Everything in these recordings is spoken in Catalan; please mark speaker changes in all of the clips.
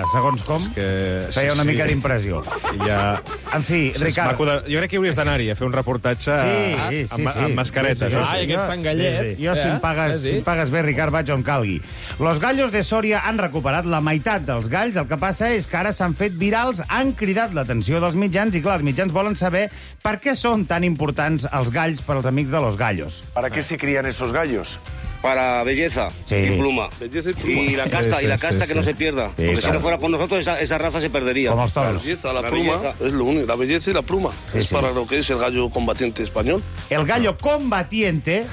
Speaker 1: Segons com, feia una mica d'impressió.
Speaker 2: Ja...
Speaker 1: En fi, Ricard...
Speaker 2: Jo crec que hauries d'anar-hi a fer un reportatge amb mascaretes.
Speaker 1: Ai,
Speaker 3: aquest tan gallet.
Speaker 1: Jo, si em pagues bé, Ricard, vaig on calgui. Los gallos de Soria han recuperat la meitat dels galls. El que passa és que ara s'han fet virals, han cridat l'atenció dels mitjans i, clar, els mitjans volen saber per què són tan importants els galls per als amics de los gallos.
Speaker 4: ¿Para qué se crían esos gallos?
Speaker 5: Para belleza y pluma.
Speaker 4: Belleza y pluma.
Speaker 5: Y la casta, que no se pierda. Porque si no fuera por nosotros, esa raza se perdería.
Speaker 1: Com els
Speaker 4: La
Speaker 1: toros.
Speaker 4: belleza, la pluma, es lo único. La belleza y la pluma. Es para lo que es el gallo combatiente español.
Speaker 1: El gallo combatiente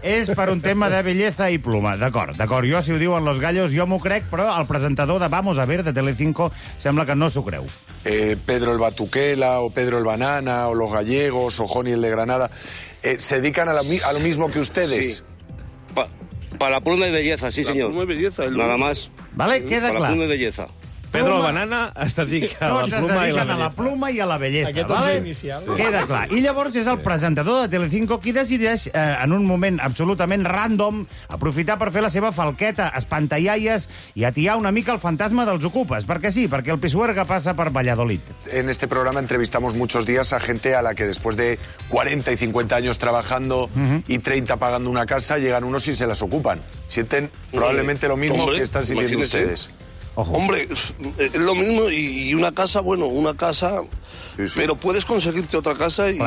Speaker 1: és per un tema de belleza i pluma. D'acord. Jo, si ho diuen los gallos, jo m'ho crec, però el presentador de Vamos a Ver, de Telecinco, sembla que no s'ho creu.
Speaker 4: Pedro el Batuquela, o Pedro el Banana, o los gallegos, o Joni el de Granada, ¿se dedican a lo mismo que ustedes?
Speaker 5: Sí. Para la pluma y belleza, sí, señor.
Speaker 4: Pluma y belleza.
Speaker 5: Nada más.
Speaker 1: Vale? Queda
Speaker 5: Para la
Speaker 1: clar.
Speaker 5: pluma y belleza.
Speaker 2: Pedro el Banana es dedica a la
Speaker 1: Tots es
Speaker 2: pluma i la
Speaker 1: dediquen a la
Speaker 2: bellesa.
Speaker 1: pluma i a la bellesa.
Speaker 3: Aquest
Speaker 1: vale?
Speaker 3: és inicial.
Speaker 1: Queda clar. I llavors és el presentador de Telecinco qui decideix, en un moment absolutament random, aprofitar per fer la seva falqueta, espantallaies i atiar una mica el fantasma dels ocupes. Perquè sí, perquè el Pisuerga passa per Valladolid.
Speaker 4: En este programa entrevistamos muchos días a gente a la que después de 40 y 50 años trabajando y 30 pagando una casa, llegan unos y se las ocupan. Sienten probablemente lo mismo que están sintiendo ustedes.
Speaker 1: Ojo.
Speaker 6: Hombre, es lo mismo y una casa, bueno, una casa,
Speaker 4: Sí, sí.
Speaker 6: pero puedes conseguirte otra casa y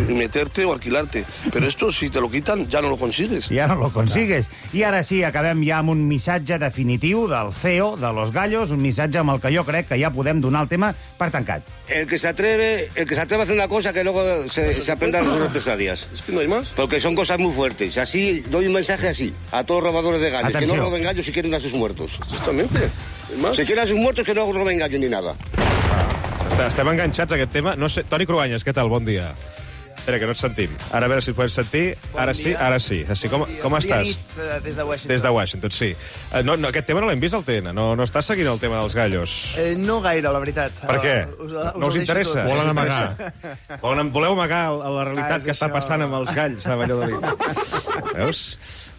Speaker 6: meterte o alquilarte. Pero esto, si te lo quitan, ya no lo consigues.
Speaker 1: Ja no lo consigues. I ara sí, acabem ja amb un missatge definitiu del CEO de Los Gallos, un missatge amb el que jo crec que ja podem donar el tema per tancat.
Speaker 5: El que se atreve a hacer una cosa que luego se aprenda las represalias.
Speaker 6: Es que no hay más.
Speaker 5: Porque son cosas muy fuertes. Así, doy un mensaje así, a todos los robadores de gallos.
Speaker 1: Atención.
Speaker 5: Que no roben gallos si quieren a sus muertos.
Speaker 6: Exactamente. ¿Hay más?
Speaker 5: Si quieren a sus muertos, que no roben gallos ni nada.
Speaker 2: Estem enganxats a aquest tema. No sé, Toni Cruanyes, què tal? Bon dia. Espera, que no et sentim. Ara a veure si et podem sentir. Ara sí, ara sí. Com estàs?
Speaker 7: Des de Washington.
Speaker 2: Des de Washington, sí. No, aquest tema no l'hem vist al TN. No estàs seguint el tema dels gallos.
Speaker 7: No gaire, la veritat.
Speaker 2: Per què? No us
Speaker 7: ho deixo
Speaker 2: interessa?
Speaker 7: tot.
Speaker 2: Volen amagar. Voleu amagar la realitat
Speaker 7: és
Speaker 2: que està
Speaker 7: això.
Speaker 2: passant amb els galls a Valladolid. Veus?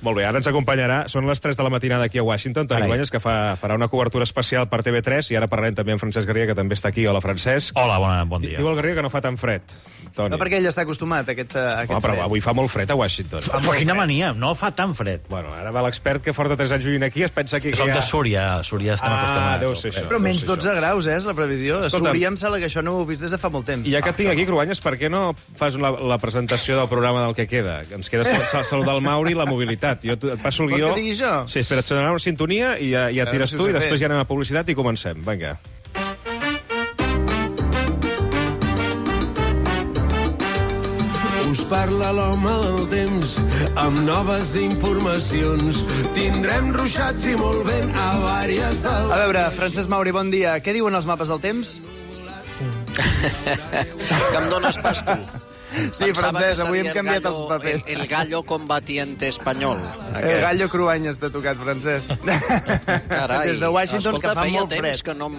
Speaker 2: Molt bé, ara ens acompanyarà. Són les 3 de la matinada aquí a Washington. Toni
Speaker 1: Carai.
Speaker 2: Cruanyes, que farà una cobertura especial per TV3, i ara parlarem també amb Francesc Garriga, que també està aquí. Hola, Francesc.
Speaker 8: Hola, bon dia.
Speaker 2: Diu el Garriga que no fa tan fred, Toni.
Speaker 7: No, perquè ell està acostumat a aquest
Speaker 2: Però
Speaker 7: fred.
Speaker 2: avui fa molt fred a Washington.
Speaker 8: Però quina mania, no fa tan fred.
Speaker 2: Bueno, ara va l'expert que porta 3 anys vivint aquí, es pensa que
Speaker 8: Som de Súria, a Súria estem acostumats.
Speaker 2: deu ser això.
Speaker 7: Però menys 12 graus, és la previsió. A
Speaker 2: Escolta'm.
Speaker 7: Súria em sembla que això no ho he vist des de fa molt temps.
Speaker 2: I ja que et tinc aquí, Cruanyes, per què no fas la presentació del programa del que queda? Ens queda saludar el Mauri i la mobilitat. Jo et passo el
Speaker 7: Vols
Speaker 2: guió.
Speaker 7: que digui jo?
Speaker 2: Sí, espera, et sonarà una sintonia i ja tires
Speaker 7: si ho
Speaker 2: tu,
Speaker 7: sé
Speaker 2: i després
Speaker 7: fer.
Speaker 2: ja anem a publicitat i comencem. Vinga.
Speaker 9: Us parla l'home del temps amb noves informacions. Tindrem ruixats i molt vent a vàries del...
Speaker 7: A veure, Francesc Mauri, bon dia. Què diuen els mapes del temps?
Speaker 10: Que em dones pas tu.
Speaker 7: Sí, Francesc, avui hem canviat els papers.
Speaker 10: El gallo combatiente espanyol.
Speaker 7: El gallo Cruanyes t'ha tocat, Francesc.
Speaker 10: Carai.
Speaker 7: Des de Washington,
Speaker 10: Escolta,
Speaker 7: que fa
Speaker 10: feia
Speaker 7: molt
Speaker 10: temps
Speaker 7: fred.
Speaker 10: que no...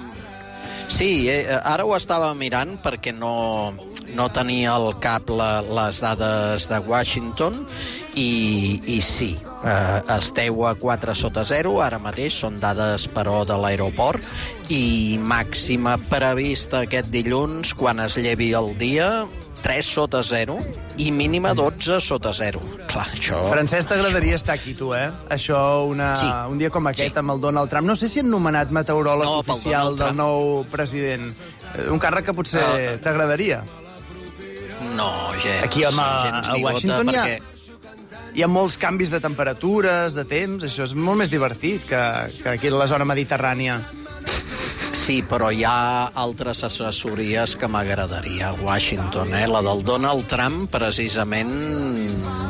Speaker 10: Sí, ara ho estava mirant perquè no tenia al cap les dades de Washington i sí, esteu a 4 sota 0, ara mateix són dades, però, de l'aeroport, i màxima prevista aquest dilluns, quan es llevi el dia, 3 sota 0 i mínima 12 sota 0. Clar, això...
Speaker 7: Francesc, t'agradaria estar aquí, tu, eh? Això,
Speaker 10: Sí.
Speaker 7: un dia com aquest,
Speaker 10: Sí.
Speaker 7: amb el Donald Trump. No sé si han nomenat meteoròleg
Speaker 10: No, pel
Speaker 7: oficial
Speaker 10: Donald
Speaker 7: del
Speaker 10: Trump.
Speaker 7: nou president. Un càrrec que potser t'agradaria.
Speaker 10: No, gens.
Speaker 7: Aquí, home,
Speaker 10: gens
Speaker 7: a
Speaker 10: ni
Speaker 7: Washington
Speaker 10: gota,
Speaker 7: hi ha-
Speaker 10: perquè...
Speaker 7: Hi ha molts canvis de temperatures, de temps. Això és molt més divertit que aquí a la zona mediterrània.
Speaker 10: Sí, però hi ha altres assessories que m'agradaria a Washington, eh? La del Donald Trump, precisament,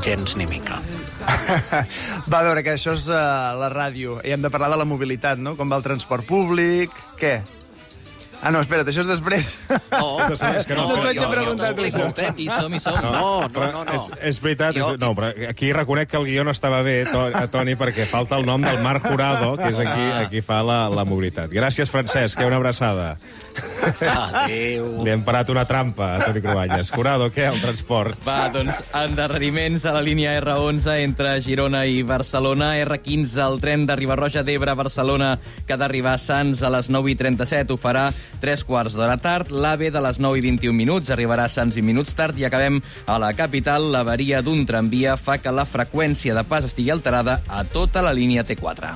Speaker 10: gens ni mica.
Speaker 7: Va, a veure, que això és la ràdio. I hem de parlar de la mobilitat, no? Com va el transport públic... Què? Ah, no, espera't, això és després.
Speaker 10: No,
Speaker 2: és que no.
Speaker 7: No t'haig de preguntar
Speaker 10: t'explico el temps.
Speaker 8: I som.
Speaker 10: No.
Speaker 2: És veritat,
Speaker 10: Jo-
Speaker 2: no, però aquí reconec que el guió no estava bé, Toni, perquè falta el nom del Marc Jurado, que és aquí fa la mobilitat. Gràcies, Francesc, una abraçada.
Speaker 10: Adéu.
Speaker 2: Li hem parat una trampa a Toni Cruanyes. Curado, què, el transport?
Speaker 3: Va, doncs, endarreriments a la línia R11 entre Girona i Barcelona. R15, el tren de Riba-roja d'Ebre a Barcelona, que ha d'arribar a Sants a les 9:37. Ho farà 3/4 d'hora tard. L'AVE de les 9:21 arribarà a Sants 20 minuts tard. I acabem a la capital. L'avaria d'un tramvia fa que la freqüència de pas estigui alterada a tota la línia T4.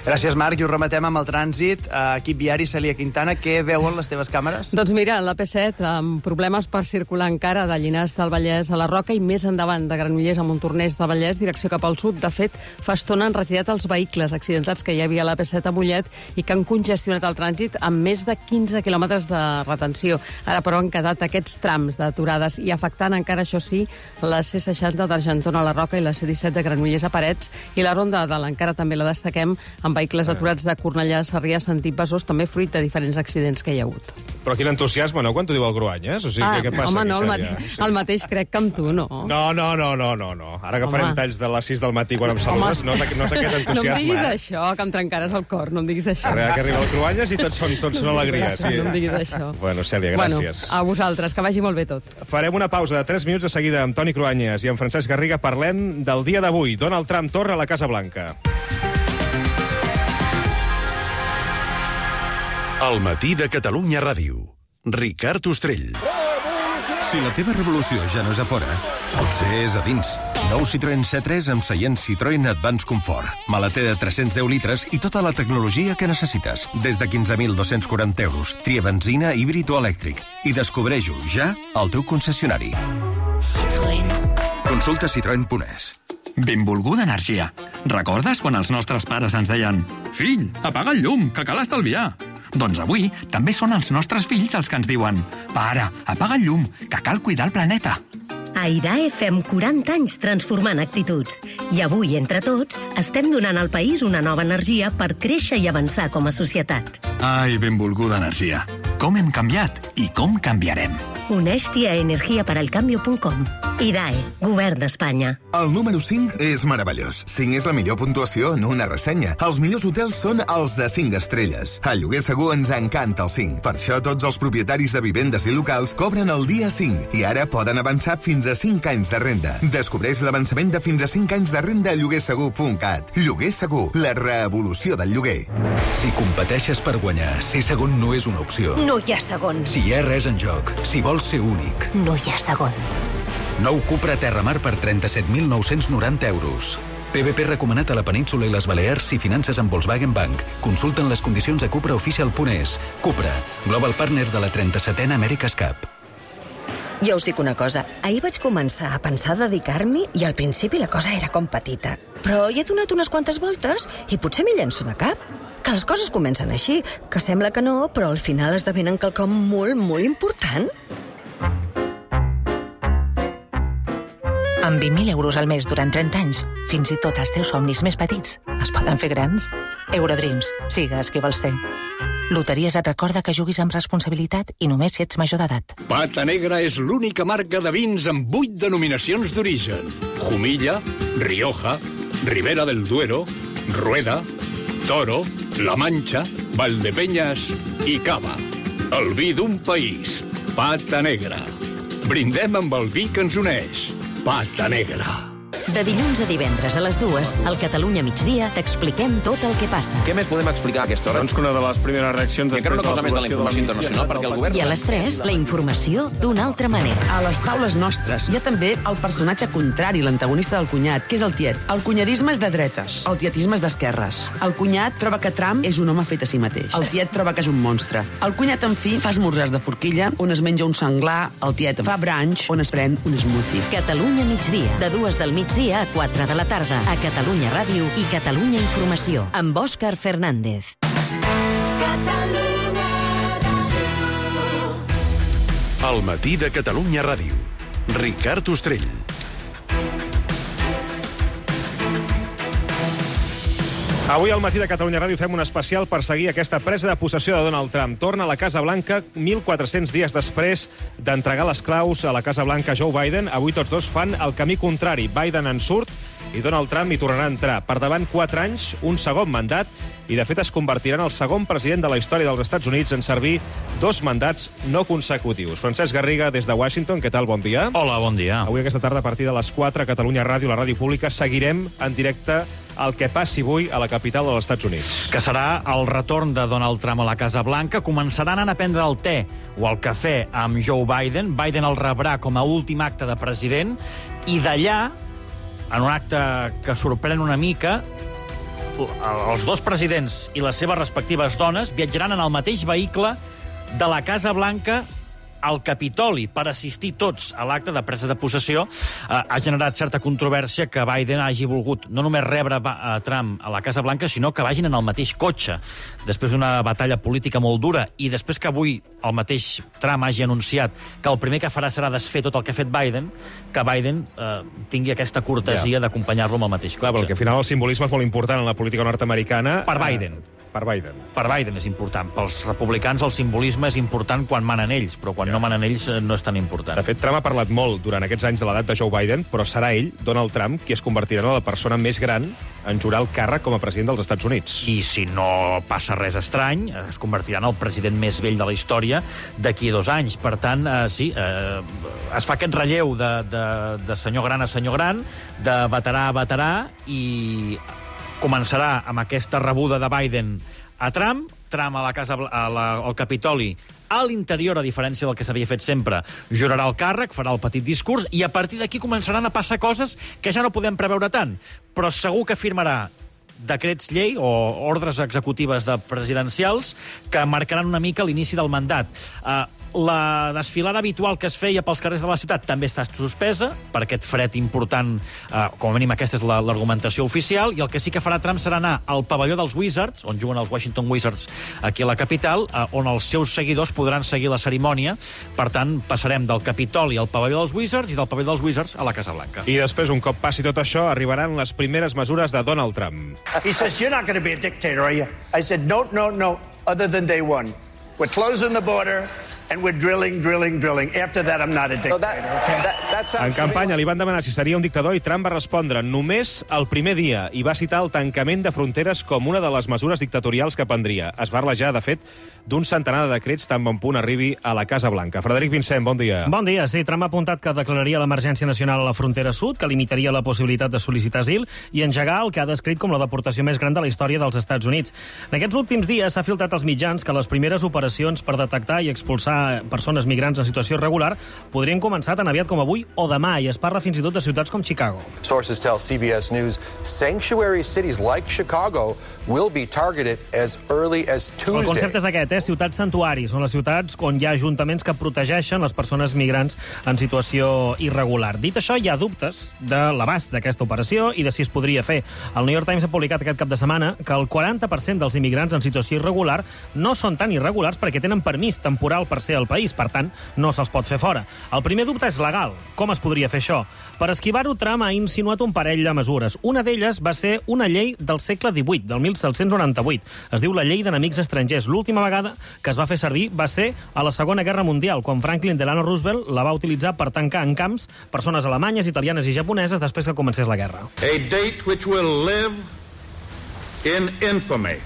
Speaker 7: Gràcies, Marc, i ho rematem amb el trànsit. Equip viari, Cèlia Quintana, què veuen les teves càmeres?
Speaker 11: Doncs mira, la P7, amb problemes per circular encara de Llinars del Vallès a la Roca i més endavant de Granollers a Montornès de Vallès, direcció cap al sud. De fet, fa estona han retirat els vehicles accidentats que hi havia a la P7 a Mollet i que han congestionat el trànsit amb més de 15 quilòmetres de retenció. Ara, però, han quedat aquests trams d'aturades i afectant encara, això sí, la C60 d'Argentona a la Roca i la C17 de Granollers a Parets, i la ronda de l'Encara també la destaquem amb vehicles aturats de Cornellà a Sarrià, sentit Besòs, també fruit de diferents accidents que hi ha hagut.
Speaker 2: Però quin entusiasme, no?, quan t'ho diu el Cruanyes? O sigui, què passa
Speaker 11: home,
Speaker 2: aquí,
Speaker 11: no,
Speaker 2: Cèlia?
Speaker 11: el mateix crec que amb tu, no?
Speaker 2: No. Ara que farem talls de les 6 del matí quan em saludes, no és aquest entusiasme.
Speaker 11: No em diguis això, que em trencaràs el cor, no em diguis això.
Speaker 2: Que arriba el Cruanyes i tots són alegria. Sí.
Speaker 11: No em diguis això.
Speaker 2: Bueno, Cèlia, gràcies.
Speaker 11: A vosaltres, que vagi molt bé tot.
Speaker 2: Farem una pausa de 3 minuts de seguida amb Toni Cruanyes i amb Francesc Garriga. Parlem del dia d'avui. Donald Trump torna a la Casa Blanca.
Speaker 12: El matí de Catalunya Ràdio. Ricard Ostrell. Si la teva revolució ja no és a fora, potser és a dins. Nou Citroën C3 amb seient Citroën Advance Comfort. Maleter de 310 litres i tota la tecnologia que necessites. Des de 15.240 euros. Tria benzina, híbrid o elèctric. I descobreix-ho ja al teu concessionari. Citroën. Consulta citroen.es.
Speaker 13: Benvolguda energia. Recordes quan els nostres pares ens deien «Fill, apaga el llum, que cal estalviar»? Doncs avui també són els nostres fills els que ens diuen «Pare, apaga el llum, que cal cuidar el planeta».
Speaker 14: A IDAE fem 40 anys transformant actituds. I avui, entre tots, estem donant al país una nova energia per créixer i avançar com a societat.
Speaker 13: Ai, benvolguda energia. Com hem canviat i com canviarem.
Speaker 14: Uneix-t'hi a energiaparalcambio.com. IDAE, Govern d'Espanya.
Speaker 15: El número 5 és meravellós. 5 és la millor puntuació en una ressenya. Els millors hotels són els de 5 estrelles. A Lloguer Segur ens encanta el 5. Per això tots els propietaris de vivendes i locals cobren el dia 5 i ara poden avançar fins a 5 anys de renda. Descobreix l'avançament de fins a 5 anys de renda a lloguersegur.cat. Lloguer Segur, la revolució del lloguer.
Speaker 16: Si competeixes per guanyar, ser segon no és una opció.
Speaker 14: No hi ha segon.
Speaker 16: Si hi ha res en joc, si vols ser únic.
Speaker 14: No hi ha segon.
Speaker 16: Nou Cupra Terramar per 37.990 euros. PVP recomanat a la península i les Balears si finances amb Volkswagen Bank. Consulten les condicions a cupraofficial.es. Cupra, global partner de la 37a America's Cup.
Speaker 17: Jo us dic una cosa. Ahir vaig començar a pensar dedicar-m'hi i al principi la cosa era com petita. Però hi he donat unes quantes voltes i potser m'hi llenço de cap. Que les coses comencen així, que sembla que no, però al final esdevenen quelcom molt, molt important.
Speaker 18: Amb 20.000 euros al mes durant 30 anys, fins i tot els teus somnis més petits es poden fer grans. Eurodreams, sigues qui vols ser. Loteries et recorda que juguis amb responsabilitat i només si ets major d'edat.
Speaker 19: Pata Negra és l'única marca de vins amb 8 denominacions d'origen. Jumilla, Rioja, Ribera del Duero, Rueda, Toro, La Mancha, Valdepeñas i Cava. El vi d'un país. Pata Negra. Brindem amb el vi que ens uneix. Pata Negra.
Speaker 14: De dilluns a divendres a les 2, al Catalunya Migdia, t'expliquem tot el que passa.
Speaker 20: Què més podem explicar a aquesta hora?
Speaker 2: Doncs que una de les primeres reaccions...
Speaker 20: I encara una cosa més de la informació internacional, perquè el govern...
Speaker 14: I a les 3, la informació d'una altra manera.
Speaker 21: A les taules nostres hi ha també el personatge contrari, l'antagonista del cunyat, que és el tiet. El cunyadisme és de dretes, el tietisme és d'esquerres. El cunyat troba que Trump és un home fet a si mateix. El tiet troba que és un monstre. El cunyat, en fi, fa esmorzars de forquilla, on es menja un senglar, el tiet fa brunch, on es pren un smoothie.
Speaker 14: Catalunya Migdia, de 2 del migdia a 4 de la tarda, a Catalunya Ràdio i Catalunya Informació, amb Òscar Fernández.
Speaker 12: El matí de Catalunya Ràdio. Ricard Ostrell.
Speaker 2: Avui al matí de Catalunya Ràdio fem un especial per seguir aquesta presa de possessió de Donald Trump. Torna a la Casa Blanca 1.400 dies després d'entregar les claus a la Casa Blanca Joe Biden. Avui tots dos fan el camí contrari. Biden en surt i Donald Trump hi tornarà a entrar. Per davant 4 anys, un segon mandat, i de fet es convertirà en el segon president de la història dels Estats Units en servir 2 mandats no consecutius. Francesc Garriga, des de Washington, què tal? Bon dia.
Speaker 8: Hola, bon dia.
Speaker 2: Avui aquesta tarda, a partir de les 4, a Catalunya Ràdio, la ràdio pública, seguirem en directe el que passi avui a la capital dels Estats Units.
Speaker 8: Que serà el retorn de Donald Trump a la Casa Blanca. Començaran a anar a prendre el te o el cafè amb Joe Biden. Biden el rebrà com a últim acte de president i d'allà, en un acte que sorprèn una mica, els dos presidents i les seves respectives dones viatjaran en el mateix vehicle de la Casa Blanca al Capitoli per assistir tots a l'acte de presa de possessió. Ha generat certa controvèrsia que Biden hagi volgut no només rebre Trump a la Casa Blanca, sinó que vagin en el mateix cotxe. Després d'una batalla política molt dura i després que avui el mateix Trump hagi anunciat que el primer que farà serà desfer tot el que ha fet Biden, que Biden tingui aquesta cortesia d'acompanyar-lo amb el mateix cotxe.
Speaker 2: Clar, perquè al final el simbolisme és molt important en la política nord-americana.
Speaker 8: Per Biden.
Speaker 2: Per Biden.
Speaker 8: Per Biden és important. Pels republicans el simbolisme és important quan manen ells, però quan no manen ells no és tan important.
Speaker 2: De fet, Trump ha parlat molt durant aquests anys de l'edat de Joe Biden, però serà ell, Donald Trump, qui es convertirà en la persona més gran en jurar el càrrec com a president dels Estats Units.
Speaker 8: I si no passa res estrany, es convertirà en el president més vell de la història d'aquí a 2 anys. Per tant, sí, es fa aquest relleu de senyor gran a senyor gran, de veterà a veterà, i començarà amb aquesta rebuda de Biden a Trump a la casa, al Capitoli, a l'interior, a diferència del que s'havia fet sempre, jurarà el càrrec, farà el petit discurs, i a partir d'aquí començaran a passar coses que ja no podem preveure tant, però segur que firmarà decrets llei o ordres executives presidencials que marcaran una mica l'inici del mandat. La desfilada habitual que es feia pels carrers de la ciutat també està suspesa per aquest fred important, com a mínim aquesta és l'argumentació oficial, i el que sí que farà Trump serà anar al pavelló dels Wizards, on juguen els Washington Wizards aquí a la capital, on els seus seguidors podran seguir la cerimònia. Per tant, passarem del Capitoli al pavelló dels Wizards i del pavelló dels Wizards a la Casa Blanca.
Speaker 2: I després, un cop passi tot això, arribaran les primeres mesures de Donald Trump.
Speaker 4: He says, you're not going to be a dictator, are you? I said, no, other than day one. We're closing the border, and we're drilling. After that, I'm not a dictator, okay?
Speaker 2: En campanya li van demanar si seria un dictador i Trump va respondre només el primer dia i va citar el tancament de fronteres com una de les mesures dictatorials que prendria. Es va arlejar, de fet, d'un centenar de decrets tan bon punt arribi a la Casa Blanca. Frederic Vincent, bon dia.
Speaker 22: Bon dia. Sí, Trump ha apuntat que declararia l'emergència nacional a la frontera sud, que limitaria la possibilitat de sol·licitar asil i engegar el que ha descrit com la deportació més gran de la història dels Estats Units. En aquests últims dies s'ha filtrat als mitjans que les primeres operacions per detectar i expulsar persones migrants en situació irregular podrien començar tan aviat com avui o demà, i es parla fins i tot de ciutats com Chicago.
Speaker 23: Sources tell CBS News sanctuary cities like Chicago will be targeted as early as Tuesday.
Speaker 22: El concepte és aquest, ciutats santuaris, són les ciutats on hi ha ajuntaments que protegeixen les persones migrants en situació irregular. Dit això, hi ha dubtes de l'abast d'aquesta operació i de si es podria fer. El New York Times ha publicat aquest cap de setmana que el 40% dels immigrants en situació irregular no són tan irregulars perquè tenen permís temporal per ser al país, per tant, no se'ls pot fer fora. El primer dubte és legal. Com es podria fer això? Per esquivar-ho, Trump ha insinuat un parell de mesures. Una d'elles va ser una llei del segle XVIII, del 1798. Es diu la llei d'enemics estrangers. L'última vegada que es va fer servir va ser a la Segona Guerra Mundial, quan Franklin Delano Roosevelt la va utilitzar per tancar en camps persones alemanyes, italianes i japoneses després que comencés la guerra.
Speaker 24: A date which will live in infamy.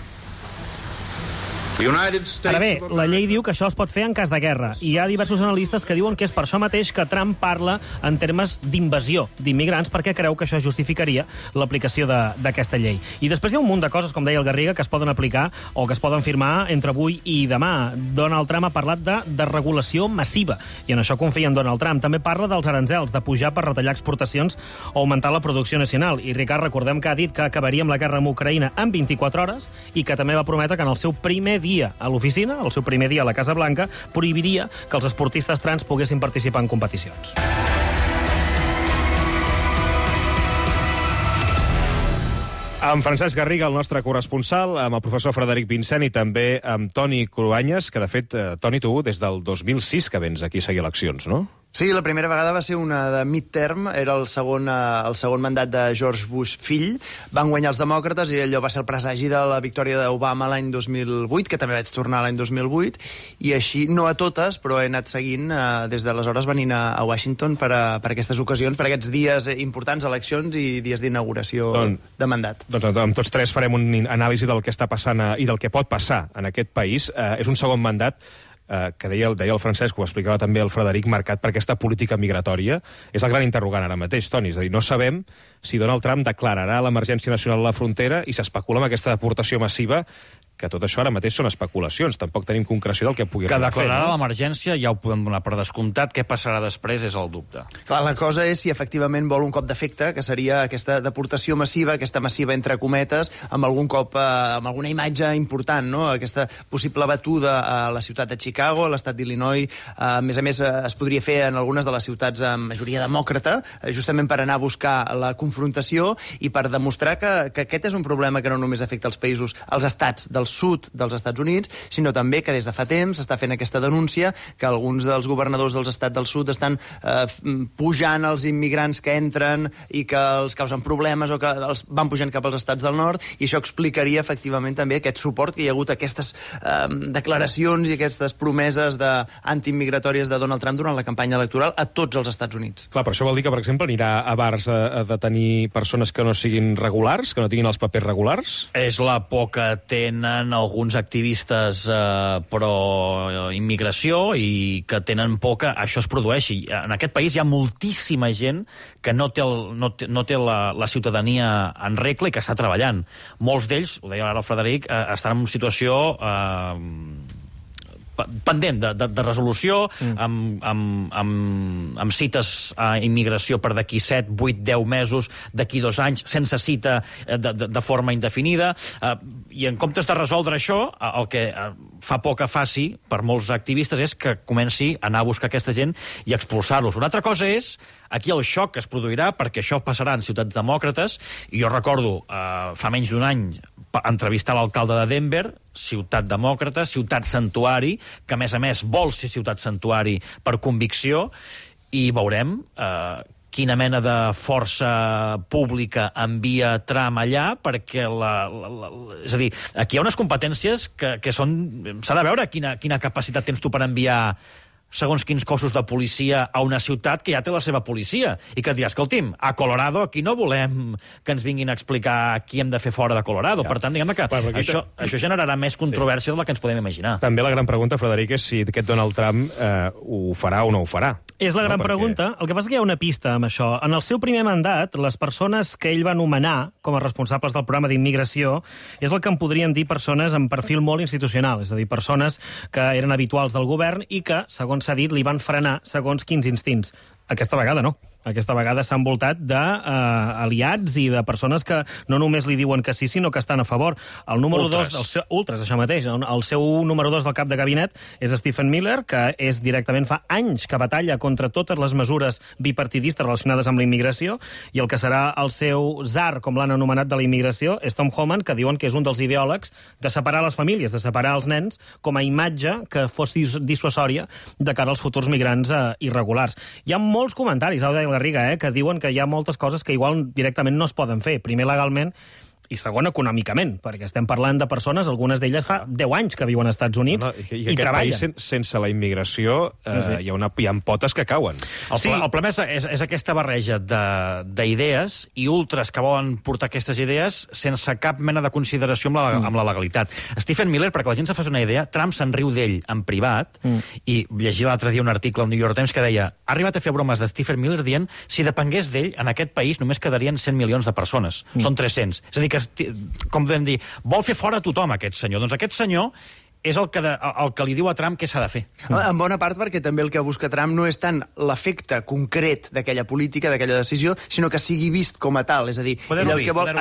Speaker 22: Ara bé, la llei diu que això es pot fer en cas de guerra, i hi ha diversos analistes que diuen que és per això mateix que Trump parla en termes d'invasió d'immigrants, perquè creu que això justificaria l'aplicació d'aquesta llei. I després hi ha un munt de coses, com deia el Garriga, que es poden aplicar o que es poden firmar entre avui i demà. Donald Trump ha parlat de desregulació massiva, i en això confia en Donald Trump. També parla dels aranzels, de pujar per retallar exportacions o augmentar la producció nacional. I Ricard, recordem que ha dit que acabaria amb la guerra amb Ucraïna en 24 hores i que també va prometre que en el seu primer dia a l'oficina, el seu primer dia a la Casa Blanca, prohibiria que els esportistes trans poguessin participar en competicions.
Speaker 2: Amb Francesc Garriga, el nostre corresponsal, amb el professor Frederic Vincent i també amb Toni Cruanyes, que de fet, Toni, tu des del 2006 que vens aquí a seguir eleccions, no?
Speaker 7: Sí, la primera vegada va ser una de midterm, era el segon mandat de George Bush fill. Van guanyar els demòcrates i allò va ser el presagi de la victòria d'Obama l'any 2008, que també vaig tornar l'any 2008, i així, no a totes, però he anat seguint des d'aleshores venint a Washington per aquestes ocasions, per aquests dies importants, eleccions i dies d'inauguració de mandat.
Speaker 2: Doncs amb tots tres farem un anàlisi del que està passant i del que pot passar en aquest país. És un segon mandat que deia el Francesc, ho explicava també el Frederic, marcat per aquesta política migratòria. És el gran interrogant ara mateix, Toni. És a dir, no sabem si Donald Trump declararà l'emergència nacional a la frontera i s'especula amb aquesta deportació massiva, que tot això ara mateix són especulacions. Tampoc tenim concreció del que pugui
Speaker 8: arribar a fer.
Speaker 2: Que
Speaker 8: declararà l'emergència ja ho podem donar per descomptat. Què passarà després és el dubte.
Speaker 7: Clar, la cosa és si efectivament vol un cop d'efecte, que seria aquesta deportació massiva, aquesta massiva entre cometes, amb algun cop, amb alguna imatge important, no? Aquesta possible batuda a la ciutat de Chicago, a l'estat d'Illinois. A més, es podria fer en algunes de les ciutats amb majoria demòcrata, justament per anar a buscar la confrontació i per demostrar que aquest és un problema que no només afecta els països, els estats del sud dels Estats Units, sinó també que des de fa temps s'està fent aquesta denúncia que alguns dels governadors dels estats del sud estan pujant els immigrants que entren i que els causen problemes o que els van pujant cap als estats del nord, i això explicaria efectivament també aquest suport que hi ha hagut a aquestes declaracions i aquestes promeses antiimmigratòries de Donald Trump durant la campanya electoral a tots els Estats Units.
Speaker 2: Clar, però això vol dir que, per exemple, anirà a bars a detenir persones que no siguin regulars, que no tinguin els papers regulars?
Speaker 8: És la por que tenen alguns activistes pro-immigració i que tenen por que això es produeixi. En aquest país hi ha moltíssima gent que no té la ciutadania en regla i que està treballant. Molts d'ells, ho deia ara el Frederic, estan en una situació pendent de resolució, amb cites a immigració per d'aquí 7, 8, 10 mesos, d'aquí 2 anys, sense cita de forma indefinida. I en comptes de resoldre això, el que fa por que faci per molts activistes és que comenci a anar a buscar aquesta gent i expulsar-los. Una altra cosa és aquí el xoc que es produirà, perquè això passarà en ciutats demòcrates, i jo recordo fa menys d'un any entrevistar l'alcalde de Denver, ciutat demòcrata, ciutat santuari, que a més vol ser ciutat santuari per convicció, i veurem quina mena de força pública envia Trump allà, perquè és a dir, aquí hi ha unes competències que són... S'ha de veure quina capacitat tens tu per enviar segons quins cossos de policia a una ciutat que ja té la seva policia, i que et dirà, escolti'm, a Colorado aquí no volem que ens vinguin a explicar qui hem de fer fora de Colorado. Per tant, diguem que això generarà més controvèrsia de la que ens podem imaginar.
Speaker 2: També la gran pregunta, Frederic, és si aquest Donald Trump ho farà o no ho farà.
Speaker 22: És la gran pregunta. El que passa és que hi ha una pista amb això. En el seu primer mandat, les persones que ell va nomenar com a responsables del programa d'immigració és el que en podríem dir persones amb perfil molt institucional, és a dir, persones que eren habituals del govern i que, segons s'ha dit, li van frenar segons quins instints. Aquesta vegada no. Aquesta vegada s'ha envoltat d'aliats i de persones que no només li diuen que sí, sinó que estan a favor. El número 2 del seu... Ultras, això mateix. El seu número 2 del cap de gabinet és Stephen Miller, que és directament fa anys que batalla contra totes les mesures bipartidistes relacionades amb la immigració, i el que serà el seu tsar, com l'han anomenat, de la immigració, és Tom Homan, que diuen que és un dels ideòlegs de separar les famílies, de separar els nens, com a imatge que fos dissuasòria de cara als futurs migrants irregulars. Hi ha molts comentaris, Garriga, que diuen que hi ha moltes coses que igual directament no es poden fer. Primer, legalment, i segon, econòmicament, perquè estem parlant de persones, algunes d'elles fa 10 anys que viuen als Estats Units i treballen.
Speaker 2: País, sense la immigració, hi ha potes que cauen.
Speaker 8: El problema és aquesta barreja d'idees i ultras que volen portar aquestes idees sense cap mena de consideració amb la legalitat. Stephen Miller, perquè la gent se faci una idea, Trump se'n riu d'ell en privat, i llegia l'altre dia un article al New York Times que deia: ha arribat a fer bromes de Stephen Miller dient si depengués d'ell, en aquest país només quedarien 100 milions de persones. Són 300. És a dir, que, com podem dir, vol fer fora tothom, aquest senyor. Doncs aquest senyor és el que li diu a Trump què s'ha de fer.
Speaker 7: En bona part perquè també el que busca Trump no és tant l'efecte concret d'aquella política, d'aquella decisió, sinó que sigui vist com a tal. És a dir,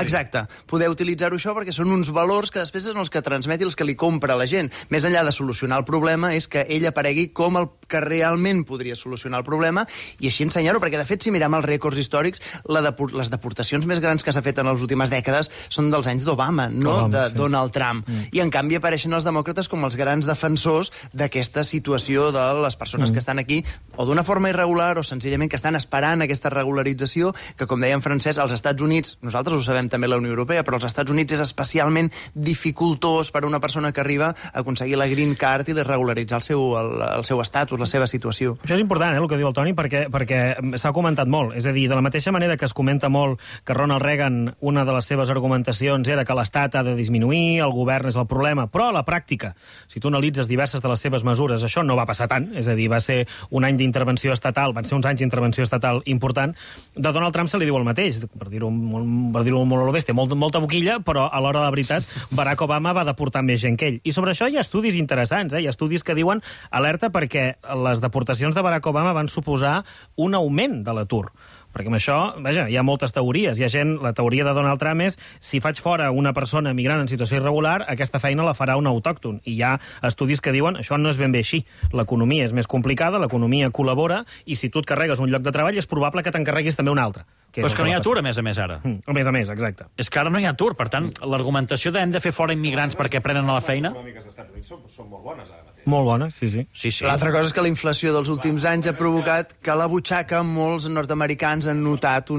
Speaker 7: exacte, poder utilitzar-ho això perquè són uns valors que després són els que transmet i els que li compra la gent. Més enllà de solucionar el problema és que ell aparegui com el que realment podria solucionar el problema i així ensenyar-ho, perquè de fet si mirem els rècords històrics, les deportacions més grans que s'ha fet en les últimes dècades són dels anys d'Obama, no de Donald Trump. I en canvi apareixen els demòcrates com els grans defensors d'aquesta situació de les persones que estan aquí o d'una forma irregular o senzillament que estan esperant aquesta regularització, que com deia en Francesc, als Estats Units, nosaltres ho sabem també la Unió Europea, però als Estats Units és especialment dificultós per a una persona que arriba a aconseguir la green card i regularitzar el seu estatus, la seva situació.
Speaker 22: Això és important, el que diu el Toni, perquè s'ha comentat molt. És a dir, de la mateixa manera que es comenta molt que Ronald Reagan, una de les seves argumentacions era que l'Estat ha de disminuir, el govern és el problema, però a la pràctica, si tu analitzes diverses de les seves mesures, això no va passar tant, és a dir, va ser un any d'intervenció estatal, van ser uns anys d'intervenció estatal important. De Donald Trump se li diu el mateix, per dir-ho molt a lo bèstia, molta boquilla, però a l'hora de la veritat, Barack Obama va deportar més gent que ell. I sobre això hi ha estudis interessants, hi ha estudis que diuen alerta perquè les deportacions de Barack Obama van suposar un augment de l'atur. Perquè amb això, vaja, hi ha moltes teories. Hi ha gent, la teoria de Donald Trump és si faig fora una persona migrant en situació irregular, aquesta feina la farà un autòcton. I hi ha estudis que diuen això no és ben bé així. L'economia és més complicada, l'economia col·labora, i si tu et carregues un lloc de treball és probable que te'n carreguis també un altre.
Speaker 8: Però és que no hi ha atur, a més, ara.
Speaker 22: A més, exacte.
Speaker 8: És que ara no hi ha atur, per tant, l'argumentació de hem de fer fora immigrants perquè prenen a la feina...
Speaker 2: Les econòmiques dels Estats Units són molt bones, ara mateix.
Speaker 22: Molt bones, sí.
Speaker 7: L'altra cosa és que la inflació dels últims anys ha provocat que a la butxaca molts nord-americans han notat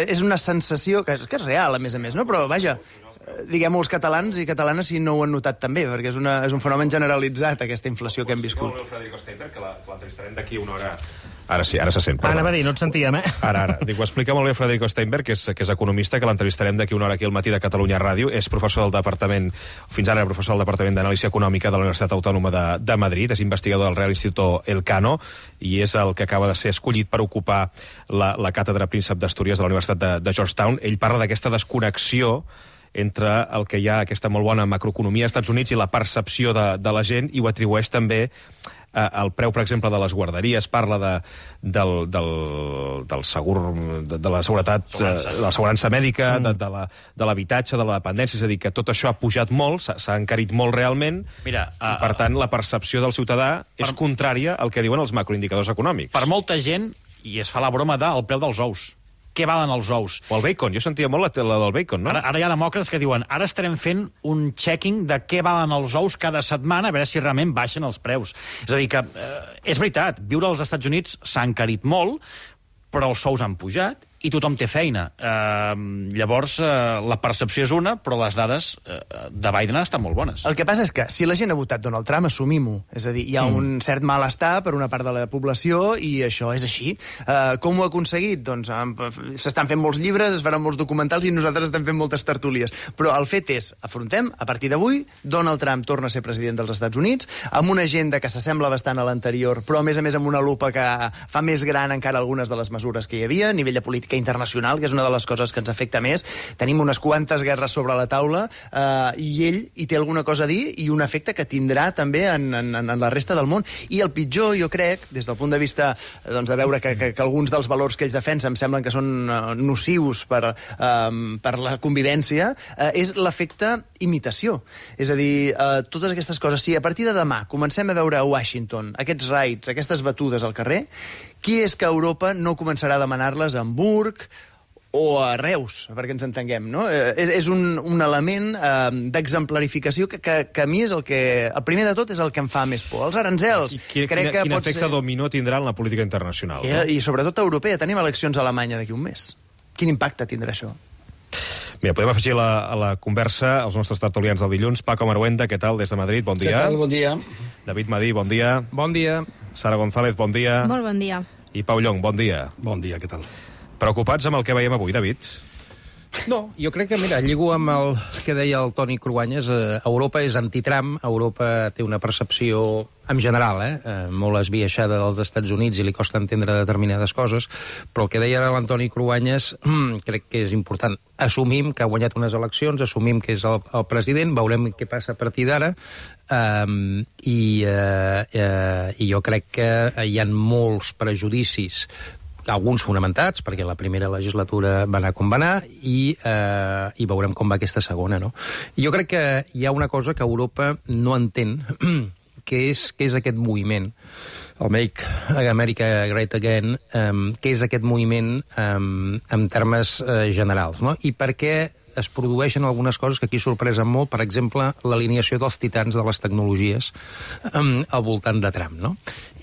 Speaker 7: és una sensació que és real, a més, no? Però, vaja, diguem-ho, els catalans i catalanes si no ho han notat també, perquè és un fenomen generalitzat, aquesta inflació que hem viscut.
Speaker 2: Frederico Steinberg, que l'entrevistarem d'aquí una hora. Ara sí, ara se sent.
Speaker 22: Anava a dir, no et sentíem,
Speaker 2: Ara. Dic, ho explica molt bé Frederico Steinberg, que és economista, que l'entrevistarem d'aquí una hora aquí al matí de Catalunya Ràdio. És professor del Departament, fins ara professor del Departament d'Anàlisi Econòmica de la Universitat Autònoma de Madrid, és investigador del Real Instituto Elcano, i és el que acaba de ser escollit per ocupar la càtedra Príncep d'Astúries de la Universitat de Georgetown. Ell parla d'aquesta desconnexió entre el que hi ha aquesta molt bona macroeconomia als Estats Units i la percepció de la gent, i ho atribueix també el preu, per exemple, de les guarderies, parla del segur, de la seguretat, de l'assegurança mèdica, de l'habitatge, de la dependència, és a dir, que tot això ha pujat molt, s'ha encarit molt realment, i per tant la percepció del ciutadà és contrària al que diuen els macroindicadors econòmics.
Speaker 8: Per molta gent, i es fa la broma del preu dels ous. Què valen els ous?
Speaker 2: O el bacon, jo sentia molt la del bacon, no?
Speaker 8: Ara hi ha demòcrates que diuen ara estarem fent un checking de què valen els ous cada setmana, a veure si realment baixen els preus. És a dir que, és veritat, viure als Estats Units s'ha encarit molt, però els sous han pujat i tothom té feina. Llavors, la percepció és una, però les dades de Biden estan molt bones.
Speaker 7: El que passa és que, si la gent ha votat Donald Trump, assumim-ho. És a dir, hi ha un cert malestar per una part de la població i això és així. Com ho ha aconseguit? Doncs s'estan fent molts llibres, es faran molts documentals i nosaltres estem fent moltes tertúlies. Però el fet és, afrontem, a partir d'avui, Donald Trump torna a ser president dels Estats Units, amb una agenda que s'assembla bastant a l'anterior, però a més amb una lupa que fa més gran encara algunes de les mesures que hi havia, a nivell de política internacional, que és una de les coses que ens afecta més. Tenim unes quantes guerres sobre la taula i ell hi té alguna cosa a dir i un efecte que tindrà també en la resta del món. I el pitjor, jo crec, des del punt de vista de veure que alguns dels valors que ells defensen em semblen que són nocius per la convivència, és l'efecte imitació. És a dir, totes aquestes coses. Si a partir de demà comencem a veure a Washington aquests raids, aquestes batudes al carrer, qui és que Europa no començarà a demanar-les a Hamburg o a Reus, perquè ens entenguem, no? És un element d'exemplarificació que a mi és el primer de tot és el que em fa més por. Els aranzels.
Speaker 2: Quin efecte dominó tindrà en la política internacional.
Speaker 7: I sobretot europea. Tenim eleccions a Alemanya d'aquí un mes. Quin impacte tindrà això?
Speaker 2: Mira, podem afegir a la conversa els nostres tertulians del dilluns. Paco Maruenda, què tal, des de Madrid? Bon dia.
Speaker 1: Què tal? Bon dia.
Speaker 2: David Madí, bon dia.
Speaker 1: Bon dia.
Speaker 2: Sara González, bon dia.
Speaker 5: Molt bon dia.
Speaker 2: I Pau Llong, bon dia.
Speaker 1: Bon dia, què tal?
Speaker 2: Preocupats amb el que veiem avui, David?
Speaker 1: No, jo crec que, mira, lligo amb el que deia el Toni Cruanyes, Europa és anti-Trump, Europa té una percepció, en general, molt esbiaixada dels Estats Units i li costa entendre determinades coses, però el que deia ara l'Antoni Cruanyes crec que és important. Assumim que ha guanyat unes eleccions, assumim que és el president, veurem què passa a partir d'ara, i jo crec que hi ha molts prejudicis, alguns fonamentats, perquè la primera legislatura va anar com va anar, i veurem com va aquesta segona, no? Jo crec que hi ha una cosa que Europa no entén, què és aquest moviment, el Make America Great Again, què és aquest moviment en termes generals, no? I per què es produeixen algunes coses que aquí sorpresen molt, per exemple, l'alineació dels titans de les tecnologies al voltant de Trump, no?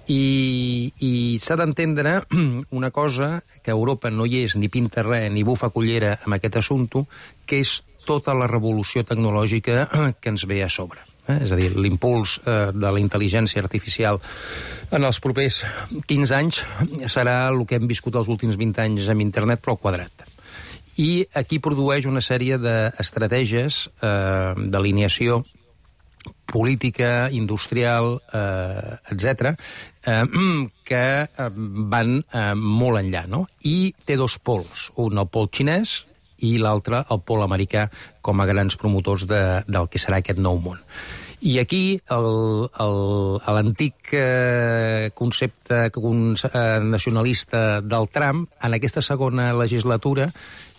Speaker 1: I s'ha d'entendre una cosa, que Europa no hi és ni pinta res ni bufa cullera amb aquest assumpte, que és tota la revolució tecnològica que ens ve a sobre. És a dir, l'impuls de la intel·ligència artificial en els propers 15 anys serà el que hem viscut els últims 20 anys amb internet, però al quadrat. I aquí produeix una sèrie d'estratègies d'alineació política, industrial, etc., que van molt enllà, no? I té dos pols, un el pol xinès i l'altre el pol americà, com a grans promotors del que serà aquest nou món. I aquí l'antic concepte nacionalista del Trump, en aquesta segona legislatura,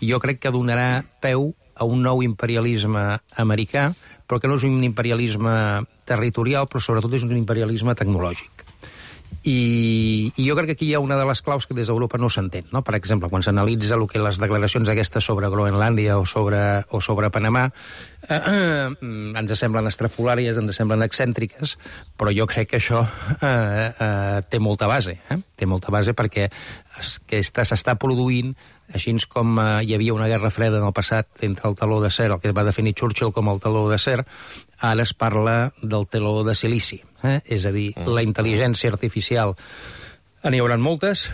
Speaker 1: jo crec que donarà peu a un nou imperialisme americà, però que no és un imperialisme territorial, però sobretot és un imperialisme tecnològic. I jo crec que aquí hi ha una de les claus que des d'Europa no s'entén, no? Per exemple, quan s'analitza el que les declaracions aquestes sobre Groenlàndia o sobre Panamà ens semblen estrafolàries, ens semblen excèntriques, però jo crec que això té molta base. Té molta base perquè s'està produint, així com hi havia una guerra freda en el passat entre el teló d'acer, el que va definir Churchill com el teló d'acer, ara es parla del teló de silici. És a dir, la intel·ligència artificial, n'hi haurà moltes,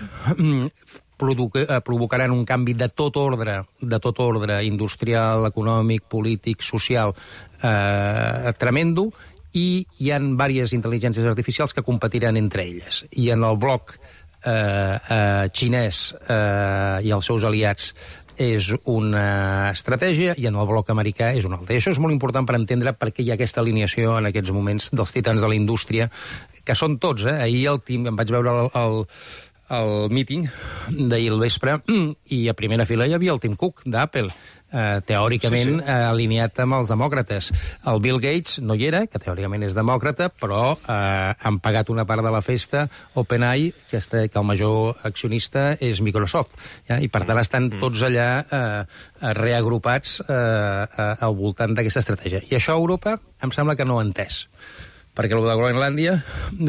Speaker 1: provocaran un canvi de tot ordre industrial, econòmic, polític, social, tremendo, i hi ha diverses intel·ligències artificials que competiran entre elles. I en el bloc xinès i els seus aliats és una estratègia i en el bloc americà és una altra. I això és molt important per entendre per què hi ha aquesta alineació en aquests moments dels titans de la indústria, que són tots. Ahir em vaig veure el míting d'ahir al vespre i a primera fila hi havia el Tim Cook d'Apple, teòricament alineat amb els demòcrates. El Bill Gates no hi era, que teòricament és demòcrata, però han pagat una part de la festa OpenAI, que el major accionista és Microsoft. I per tant estan tots allà reagrupats al voltant d'aquesta estratègia. I això a Europa em sembla que no ho ha entès. Perquè el de Groenlàndia,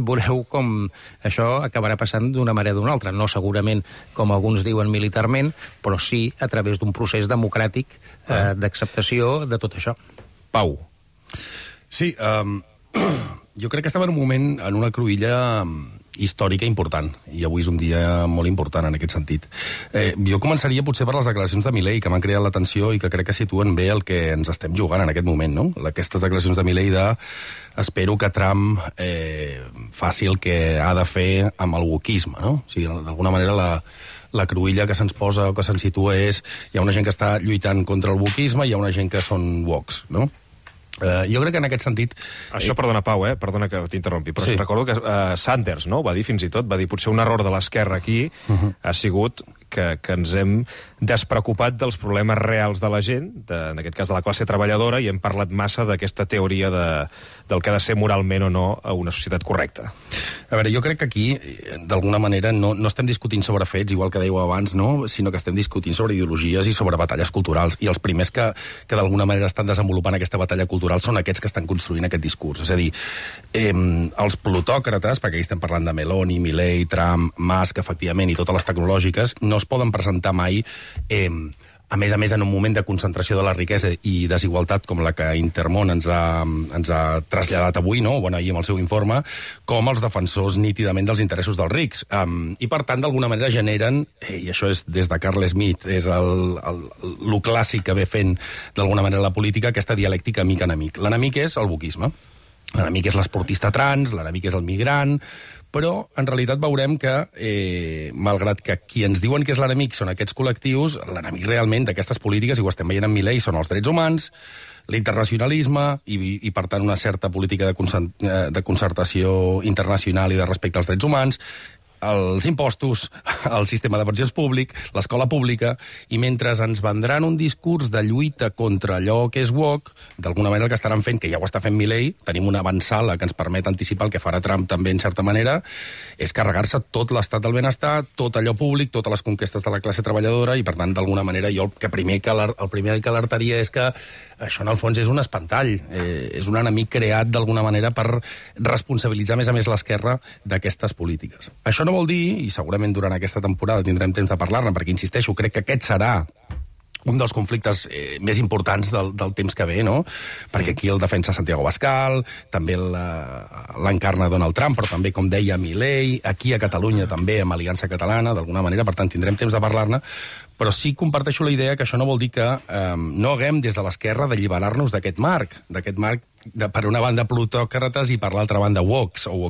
Speaker 1: veureu com això acabarà passant d'una manera o d'una altra. No segurament, com alguns diuen, militarment, però sí a través d'un procés democràtic d'acceptació de tot això.
Speaker 5: Pau. Sí, jo crec que estem en un moment, en una cruïlla històrica important, i avui és un dia molt important en aquest sentit. Jo començaria potser per les declaracions de Milei, que m'han creat l'atenció i que crec que situen bé el que ens estem jugant en aquest moment, no? Aquestes declaracions de Milei espero que Trump faci el que ha de fer amb el wokisme, no? O sigui, d'alguna manera la cruïlla que se'ns posa o que se'ns situa és hi ha una gent que està lluitant contra el wokisme i hi ha una gent que són woks, no? Jo crec que en aquest sentit...
Speaker 2: Això, perdona, Pau, perdona que t'interrompi, però recordo que Sanders, no?, va dir fins i tot, potser un error de l'esquerra aquí ha sigut que ens hem despreocupat dels problemes reals de la gent, en aquest cas de la classe treballadora, i hem parlat massa d'aquesta teoria del que ha de ser moralment o no a una societat correcta.
Speaker 5: A veure, jo crec que aquí, d'alguna manera, no estem discutint sobre fets, igual que dèieu abans, no?, sinó que estem discutint sobre ideologies i sobre batalles culturals. I els primers que d'alguna manera estan desenvolupant aquesta batalla cultural són aquests que estan construint aquest discurs. És a dir, els plutòcrates, perquè aquí estem parlant de Meloni, Milei, Trump, Musk, efectivament, i totes les tecnològiques, no es poden presentar mai, a més, en un moment de concentració de la riquesa i desigualtat com la que Intermón ens ha traslladat avui, no?, ahir amb el seu informe, com els defensors nítidament dels interessos dels rics. I, per tant, d'alguna manera generen, i això és des de Carl Smith, és el clàssic que ve fent d'alguna manera la política, aquesta dialèctica amic-enemic. L'enemic és el wokisme. L'enemic és l'esportista trans, l'enemic és el migrant, però en realitat veurem que, malgrat que qui ens diuen que és l'enemic són aquests col·lectius, l'enemic realment d'aquestes polítiques, i ho estem veient en Milei, són els drets humans, l'internacionalisme i, per tant, una certa política de concertació internacional i de respecte als drets humans, els impostos, el sistema de pensions públic, l'escola pública, i mentre ens vendran un discurs de lluita contra allò que és woke, d'alguna manera el que estaran fent, que ja ho està fent Milei, tenim una avançala que ens permet anticipar el que farà Trump també, en certa manera, és carregar-se tot l'estat del benestar, tot allò públic, totes les conquestes de la classe treballadora, i per tant, d'alguna manera, jo el primer que alertaria és que això, en el fons, és un espantall. És un enemic creat, d'alguna manera, per responsabilitzar més a més l'esquerra d'aquestes polítiques. Això no vol dir, i segurament durant aquesta temporada tindrem temps de parlar-ne, perquè, insisteixo, crec que aquest serà un dels conflictes més importants del temps que ve, no? Perquè aquí el defensa Santiago Abascal, també l'encarna Donald Trump, però també, com deia, Milei, aquí a Catalunya també, amb Aliança Catalana, d'alguna manera, per tant, tindrem temps de parlar-ne, però sí comparteixo la idea que això no vol dir que no haguem des de l'esquerra d'alliberar-nos d'aquest marc, per una banda plutòcrates i per l'altra banda woks, o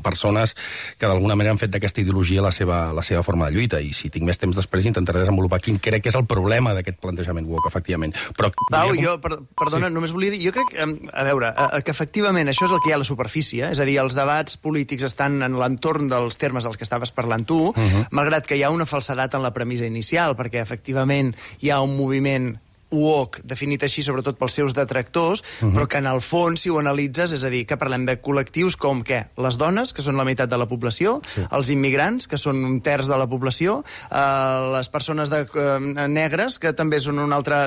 Speaker 5: persones que d'alguna manera han fet d'aquesta ideologia la seva forma de lluita, i si tinc més temps després intentaré desenvolupar quin crec que és el problema d'aquest plantejament woke, efectivament. Però,
Speaker 7: Pau, perdona, només volia dir, jo crec, a veure, que efectivament això és el que hi ha a la superfície, és a dir, els debats polítics estan en l'entorn dels termes dels que estaves parlant tu, malgrat que hi ha una falsedat en la premissa inicial, perquè efectivament hi ha un moviment woke, definit així sobretot pels seus detractors, però que en el fons, si ho analitzes, és a dir, que parlem de col·lectius com què? Les dones, que són la meitat de la població, els immigrants, que són un terç de la població, les persones negres, que també són un altre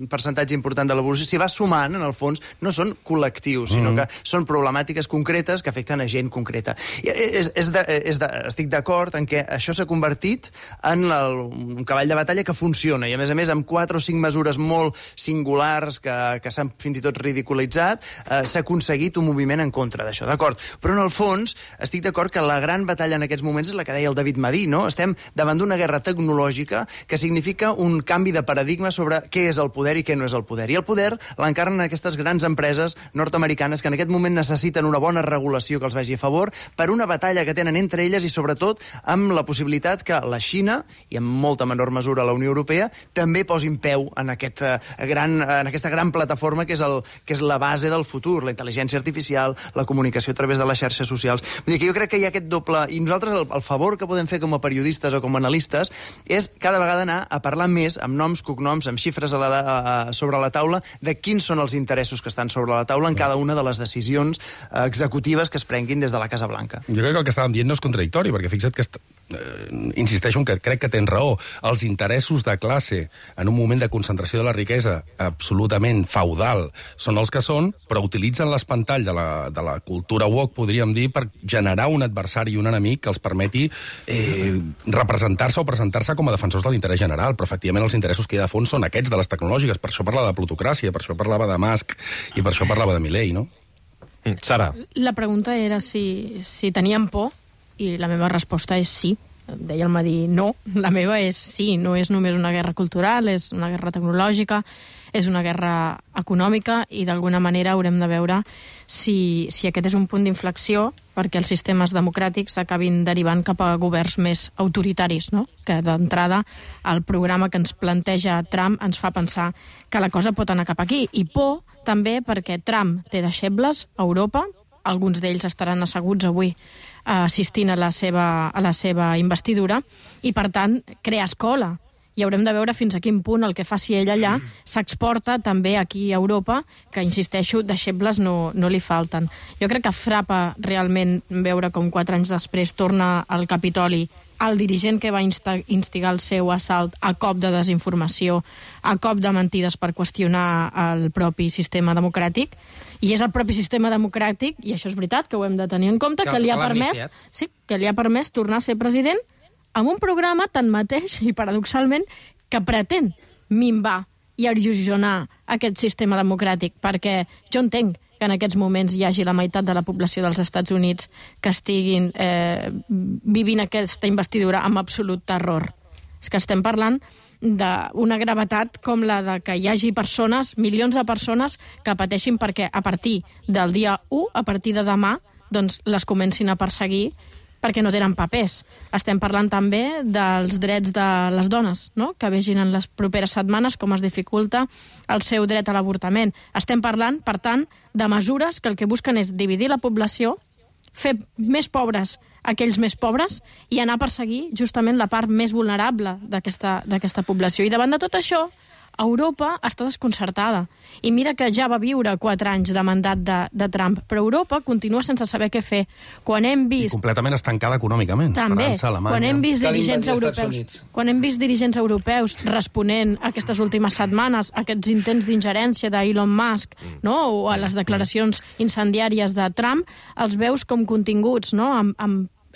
Speaker 7: percentatge important de la població. Si va sumant, en el fons, no són col·lectius, sinó que són problemàtiques concretes que afecten a gent concreta. Estic d'acord en què això s'ha convertit en un cavall de batalla que funciona, i a més, amb 4 o 5 mesures molt singulars que s'han fins i tot ridiculitzat, s'ha aconseguit un moviment en contra d'això, d'acord? Però en el fons estic d'acord que la gran batalla en aquests moments és la que deia el David Madí, no? Estem davant d'una guerra tecnològica que significa un canvi de paradigma sobre què és el poder i què no és el poder. I el poder l'encarnen aquestes grans empreses nord-americanes que en aquest moment necessiten una bona regulació que els vagi a favor per una batalla que tenen entre elles i sobretot amb la possibilitat que la Xina, i en molta menor mesura la Unió Europea, també posin peu en aquesta gran plataforma que és la base del futur, la intel·ligència artificial, la comunicació a través de les xarxes socials. Vull dir que jo crec que hi ha aquest doble... I nosaltres el favor que podem fer com a periodistes o com a analistes és cada vegada anar a parlar més amb noms, cognoms, amb xifres sobre la taula de quins són els interessos que estan sobre la taula en cada una de les decisions executives que es prenguin des de la Casa Blanca.
Speaker 5: Jo crec que el que estàvem dient no és contradictori, perquè fixa't que insisteixo en que crec que tens raó. Els interessos de classe en un moment de concentració de la riquesa absolutament feudal són els que són, però utilitzen l'espantall de la cultura woke, podríem dir, per generar un adversari i un enemic que els permeti representar-se o presentar-se com a defensors de l'interès general, però efectivament els interessos que hi ha de fons són aquests de les tecnològiques, per això parlava de plutocràcia, per això parlava de Musk i per això parlava de Milei, no?
Speaker 2: Sara.
Speaker 3: La pregunta era si teníem por, i la meva resposta és sí. Deia el Madí, no. La meva és sí, no és només una guerra cultural, és una guerra tecnològica, és una guerra econòmica, i d'alguna manera haurem de veure si aquest és un punt d'inflexió perquè els sistemes democràtics acabin derivant cap a governs més autoritaris, no? Que d'entrada el programa que ens planteja Trump ens fa pensar que la cosa pot anar cap aquí. I por també perquè Trump té deixebles a Europa, alguns d'ells estaran asseguts avui assistint a la seva investidura, i per tant crea escola, i haurem de veure fins a quin punt el que faci ell allà s'exporta també aquí a Europa, que, insisteixo, deixebles no li falten. Jo crec que frapa realment veure com 4 anys després torna al Capitoli el dirigent que va instigar el seu assalt a cop de desinformació, a cop de mentides per qüestionar el propi sistema democràtic, i és el propi sistema democràtic, i això és veritat, que ho hem de tenir en compte, que li ha permès tornar a ser president amb un programa tanmateix, i paradoxalment, que pretén minvar i erosionar aquest sistema democràtic, perquè jo entenc que en aquests moments hi hagi la meitat de la població dels Estats Units que estiguin vivint aquesta investidura amb absolut terror. És que estem parlant d'una gravetat com la de que hi hagi persones, milions de persones, que pateixin perquè a partir del dia 1, a partir de demà, doncs les comencin a perseguir perquè no tenen papers. Estem parlant també dels drets de les dones, no? Que vegin en les properes setmanes com es dificulta el seu dret a l'avortament. Estem parlant, per tant, de mesures que el que busquen és dividir la població, fer més pobres aquells més pobres i anar a perseguir justament la part més vulnerable d'aquesta població. I davant de tot això, Europa està desconcertada. I mira que ja va viure 4 anys de mandat de Trump, però Europa continua sense saber què fer. Quan hem vist...
Speaker 5: I completament estancada econòmicament.
Speaker 3: També,
Speaker 5: França, Alemanya...
Speaker 3: Quan hem vist dirigents europeus responent aquestes últimes setmanes a aquests intents d'ingerència d'Elon Musk, no? O a les declaracions incendiàries de Trump, els veus com continguts, no?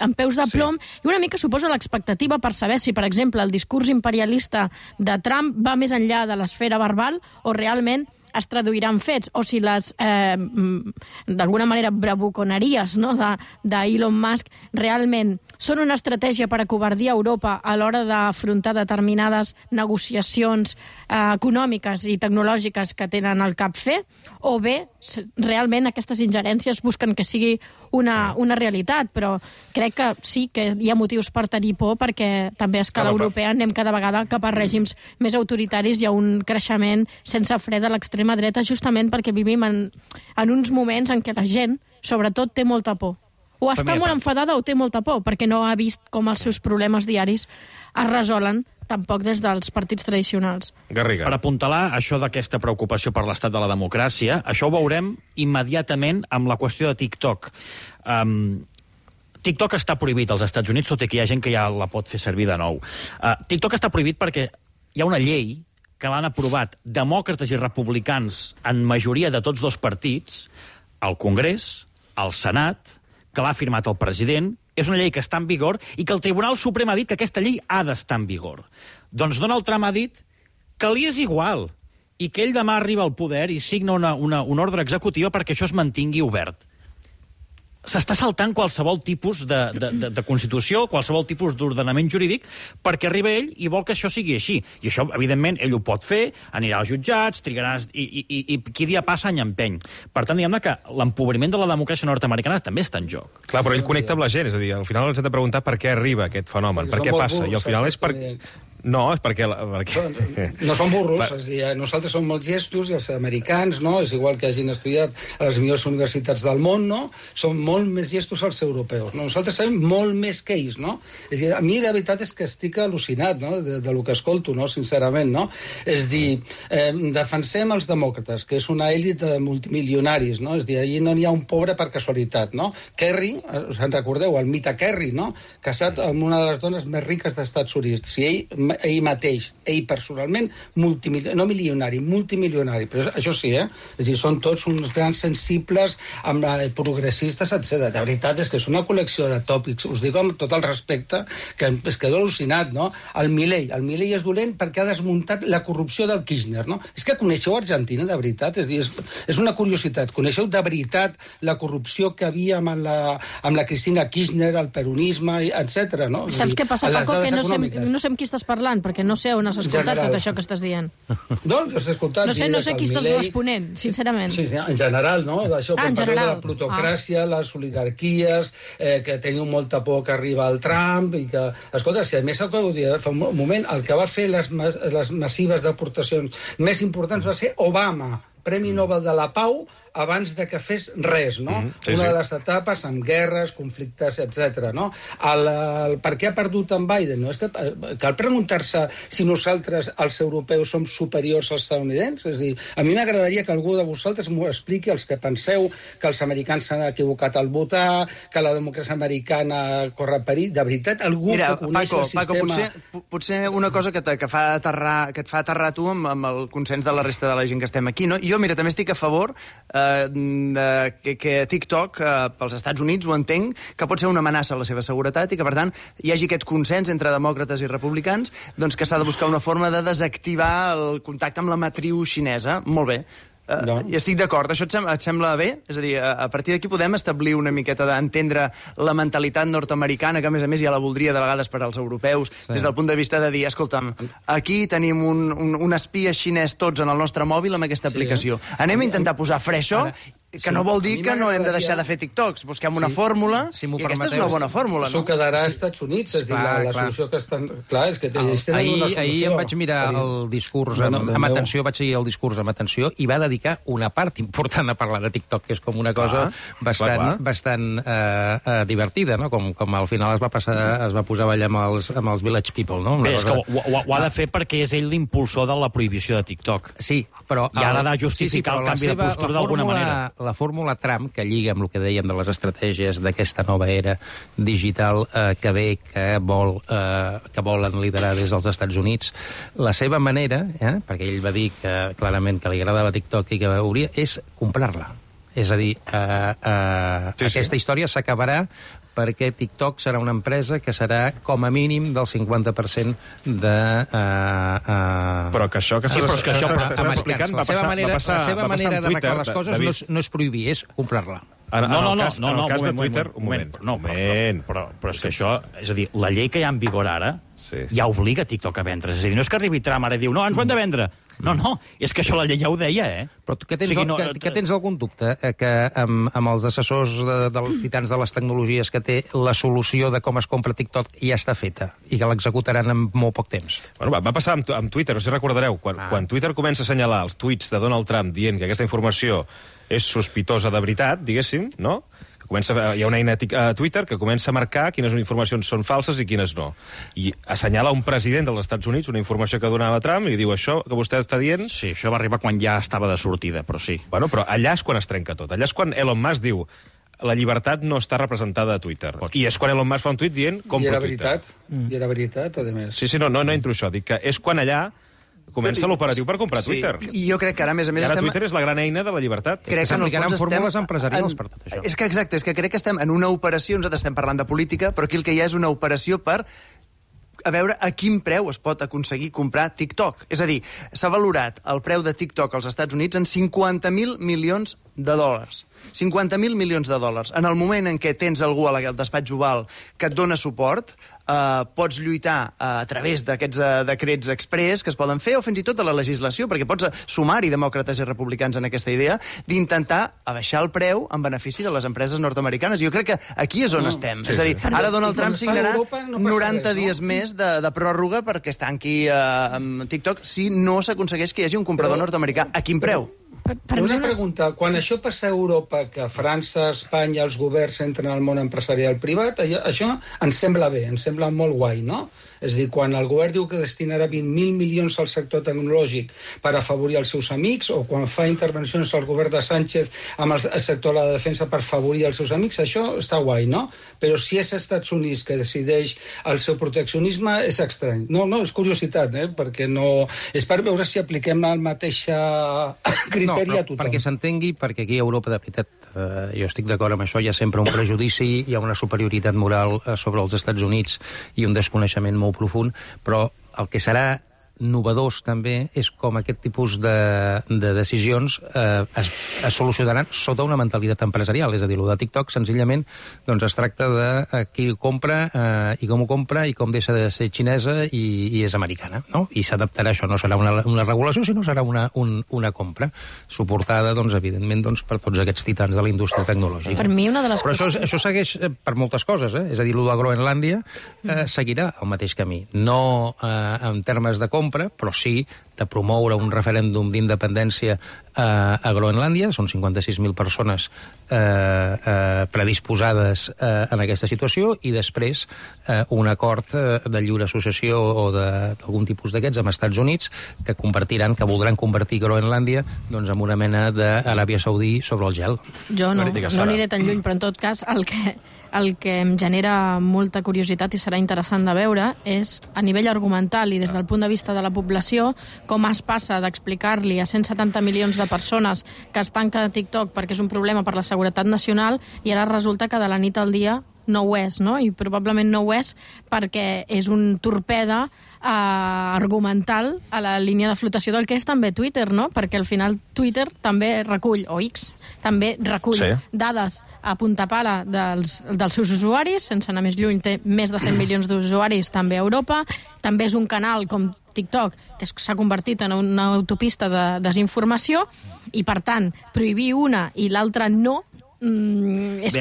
Speaker 3: amb peus de plom, i una mica suposa l'expectativa per saber si, per exemple, el discurs imperialista de Trump va més enllà de l'esfera verbal o realment es traduirà en fets, o si les, d'alguna manera, bravuconeries, no?, d'Elon Musk realment són una estratègia per acovardir Europa a l'hora d'afrontar determinades negociacions econòmiques i tecnològiques que tenen al cap fer, o bé, realment aquestes ingerències busquen que sigui una realitat, però crec que sí que hi ha motius per tenir por, perquè també a escala europea anem cada vegada cap a règims més autoritaris i a un creixement sense fre de l'extrema dreta, justament perquè vivim en uns moments en què la gent, sobretot, té molta por. O està molt enfadada o té molta por, perquè no ha vist com els seus problemes diaris es resolen tampoc des dels partits tradicionals.
Speaker 2: Garriga.
Speaker 8: Per apuntalar això d'aquesta preocupació per l'estat de la democràcia, això ho veurem immediatament amb la qüestió de TikTok. TikTok està prohibit als Estats Units, tot i que hi ha gent que ja la pot fer servir de nou. TikTok està prohibit perquè hi ha una llei que l'han aprovat demòcrates i republicans en majoria de tots dos partits, al Congrés, al Senat, que l'ha firmat el president, és una llei que està en vigor i que el Tribunal Suprem ha dit que aquesta llei ha d'estar en vigor. Doncs Donald Trump ha dit que li és igual i que ell demà arriba al poder i signa una ordre executiva perquè això es mantingui obert. S'està saltant qualsevol tipus de constitució, qualsevol tipus d'ordenament jurídic, perquè arriba ell i vol que això sigui així. I això, evidentment, ell ho pot fer, anirà als jutjats, trigaràs, i qui dia passa any empeny. Per tant, diguem-ne que l'empobriment de la democràcia nord-americana també està en joc.
Speaker 2: Clar, però ell connecta amb la gent, és a dir, al final ens hem de preguntar per què arriba aquest fenomen, per què passa, i al final és per... No, és perquè...
Speaker 6: No som burros, és a dir, nosaltres som molt gestos i els americans, no? És igual que hagin estudiat a les millors universitats del món, no? Som molt més gestos als europeus, no? Nosaltres sabem molt més que ells, no? És a dir, a mi la veritat és que estic al·lucinat, no?, de lo que escolto, no?, sincerament, no? És a dir, defensem els demòcrates, que és una èlit de multimilionaris, no? És a dir, allí no n'hi ha un pobre per casualitat, no? Kerry, us en recordeu, el mite Kerry, no?, casat amb una de les dones més riques dels Estats Units. Si ell mateix, ell personalment, no milionari, multimilionari. Però això sí, És a dir, són tots uns grans sensibles, amb progressistes, etc. De veritat, és que és una col·lecció de tòpics. Us dic amb tot el respecte, que es quedo al·lucinat, no? El Milei és dolent perquè ha desmuntat la corrupció del Kirchner, no? És que coneixeu Argentina, de veritat? És a dir, és una curiositat. Coneixeu de veritat la corrupció que havia amb la Cristina Kirchner, el peronisme, etc. no?
Speaker 3: Saps què passa, Paco? Que no sé amb qui estàs parlant, perquè no sé on has escoltat tot això que estàs dient.
Speaker 6: No, has escoltat...
Speaker 3: No sé qui estàs responent, sincerament.
Speaker 6: Sí, en general, no? D'això, quan parleu de la plutocràcia, les oligarquies, que teniu molta por que arriba el Trump, i que... Escolta, si a més el que ho dia fa un moment, el que va fer les massives deportacions més importants va ser Obama, Premi Nobel de la Pau, abans de que fes res, no? Una de les etapes amb guerres, conflictes, etc. no? Per què ha perdut en Biden? No? És que cal preguntar-se si nosaltres, els europeus, som superiors als estadounidencs? És a dir, a mi m'agradaria que algú de vosaltres m'ho expliqui, els que penseu que els americans s'han equivocat al votar, que la democràcia americana corre perill. De veritat, algú que coneix el sistema...
Speaker 7: Paco, potser una cosa que et fa aterrar tu amb el consens de la resta de la gent que estem aquí, no? Jo, mira, també estic a favor que TikTok pels Estats Units ho entenc que pot ser una amenaça a la seva seguretat i que, per tant, hi hagi aquest consens entre demòcrates i republicans, doncs que s'ha de buscar una forma de desactivar el contacte amb la matriu xinesa. Molt bé. I estic d'acord. Això et sembla bé? És a dir, a partir d'aquí podem establir una miqueta d'entendre la mentalitat nord-americana, que a més ja la voldria de vegades per als europeus, des del punt de vista de dir, escolta'm, aquí tenim un espia xinès tots en el nostre mòbil amb aquesta aplicació. Anem a intentar posar fre això Que no vol dir que no hem de deixar de fer TikToks. Busquem una fórmula, i aquesta és una bona fórmula, no?
Speaker 6: Això quedarà als Estats Units, és a dir, la solució que estan... Clar, és que ells tenen una solució.
Speaker 1: Ahir em vaig mirar el discurs amb atenció, vaig seguir el discurs amb atenció, i va dedicar una part important a parlar de TikTok, que és com una cosa bastant divertida, no? Com al final es va posar a ballar amb els Village People, no?
Speaker 8: Bé, és que ho ha de fer perquè és ell l'impulsor de la prohibició de TikTok.
Speaker 1: Sí, però...
Speaker 8: I ara ha de justificar el canvi de postura d'alguna manera.
Speaker 1: La fórmula Trump, que lliga amb el que dèiem de les estratègies d'aquesta nova era digital que ve, que volen liderar des dels Estats Units, la seva manera, perquè ell va dir que clarament que li agradava TikTok i que hauria, és comprar-la. És a dir, aquesta història s'acabarà perquè TikTok serà una empresa que serà com a mínim del 50% de...
Speaker 2: Però que això que estàs explicant va passar
Speaker 1: La seva manera d'arreglar les coses no és prohibir, és comprar-la.
Speaker 2: En el cas de Twitter... Un moment.
Speaker 8: Però és que això... És a dir, la llei que hi ha en vigor ara ja obliga TikTok a vendre. És a dir, no és que arribi Trump ara i diu, no, ens ho hem de vendre. No, és que això la llei ja ho deia,
Speaker 1: Però que tens algun dubte que amb els assessors dels titans de les tecnologies que té la solució de com es compra TikTok ja està feta i que l'executaran en molt poc temps?
Speaker 2: Bueno, va passar amb Twitter, no sé si recordareu, quan Twitter comença a assenyalar els tuits de Donald Trump dient que aquesta informació és sospitosa de veritat, diguéssim, no? Hi ha una eina a Twitter que comença a marcar quines informacions són falses i quines no. I assenyala un president dels Estats Units una informació que donava Trump i diu això que vostè està dient...
Speaker 8: Sí, això va arribar quan ja estava de sortida, però sí.
Speaker 2: Bueno, però allà és quan es trenca tot. Allà és quan Elon Musk diu la llibertat no està representada a Twitter. I és quan Elon Musk fa un tuit dient compro Twitter.
Speaker 6: I era veritat, a més.
Speaker 2: Sí, no entro això. Dic que és quan allà comença l'operatiu per comprar Twitter.
Speaker 7: I jo crec que ara, a més a més...
Speaker 2: Ara Twitter és la gran eina de la llibertat.
Speaker 1: Crec que s'aplicaran fórmules empresarials per tot això.
Speaker 7: És que exacte, és que crec que estem en una operació, nosaltres estem parlant de política, però aquí el que hi ha és una operació per a veure a quin preu es pot aconseguir comprar TikTok. És a dir, s'ha valorat el preu de TikTok als Estats Units en $50.000 milions. 50.000 milions de dòlars. En el moment en què tens algú al despatx Oval que et dona suport, pots lluitar a través d'aquests decrets express que es poden fer, o fins i tot a la legislació, perquè pots sumar-hi demòcrates i republicans en aquesta idea d'intentar abaixar el preu en benefici de les empreses nord-americanes. Jo crec que aquí és on estem. És a dir, ara Donald Trump signarà 90 dies més de pròrroga perquè es tanqui amb TikTok si no s'aconsegueix que hi hagi un comprador nord-americà. A quin preu?
Speaker 6: Una pregunta. Quan això passa a Europa, que França, Espanya, els governs entren al món empresarial privat, això ens sembla bé, ens sembla molt guai, no? És a dir, quan el govern diu que destinarà 20.000 milions al sector tecnològic per afavorir els seus amics, o quan fa intervencions al govern de Sánchez amb el sector de la defensa per afavorir els seus amics, això està guai, no? Però si és als Estats Units que decideix el seu proteccionisme, és estrany. No, és curiositat, perquè no... És per veure si apliquem el mateix criteri a tothom.
Speaker 1: Perquè s'entengui, perquè aquí a Europa, de veritat, jo estic d'acord amb això, hi ha sempre un prejudici, hi ha una superioritat moral sobre els Estats Units i un desconeixement molt profund, però el que serà novedós també és com aquest tipus de decisions es solucionaran sota una mentalitat empresarial. És a dir, el de TikTok senzillament es tracta de qui compra i com ho compra i com deixa de ser xinesa i és americana, no? I s'adaptarà això, no serà una regulació, sinó serà una compra suportada, evidentment, per tots aquests titans de la indústria tecnològica.
Speaker 3: Per mi una de les
Speaker 1: Però això segueix per moltes coses, És a dir, el de Groenlàndia seguirà el mateix camí. No en termes de compra, però sí de promoure un referèndum d'independència a Groenlàndia. Són 56.000 persones predisposades en aquesta situació, i després un acord de lliure associació o d'algun tipus d'aquests amb Estats Units que voldran convertir Groenlàndia en una mena d'Aràbia Saudí sobre el gel.
Speaker 3: Jo no aniré tan lluny, però en tot cas el que em genera molta curiositat i serà interessant de veure és, a nivell argumental i des del punt de vista de la població, com es passa d'explicar-li a 170 milions de persones que es tanca de TikTok perquè és un problema per la seguretat nacional, i ara resulta que de la nit al dia no ho és, no? I probablement no ho és perquè és un torpede argumental a la línia de flotació del que és també Twitter, no? Perquè al final Twitter també recull, o X, també recull dades a punta pala dels seus usuaris, sense anar més lluny, té més de 100 milions d'usuaris també a Europa, també és un canal com TikTok, que s'ha convertit en una autopista de desinformació, i, per tant, prohibir una i l'altra no, és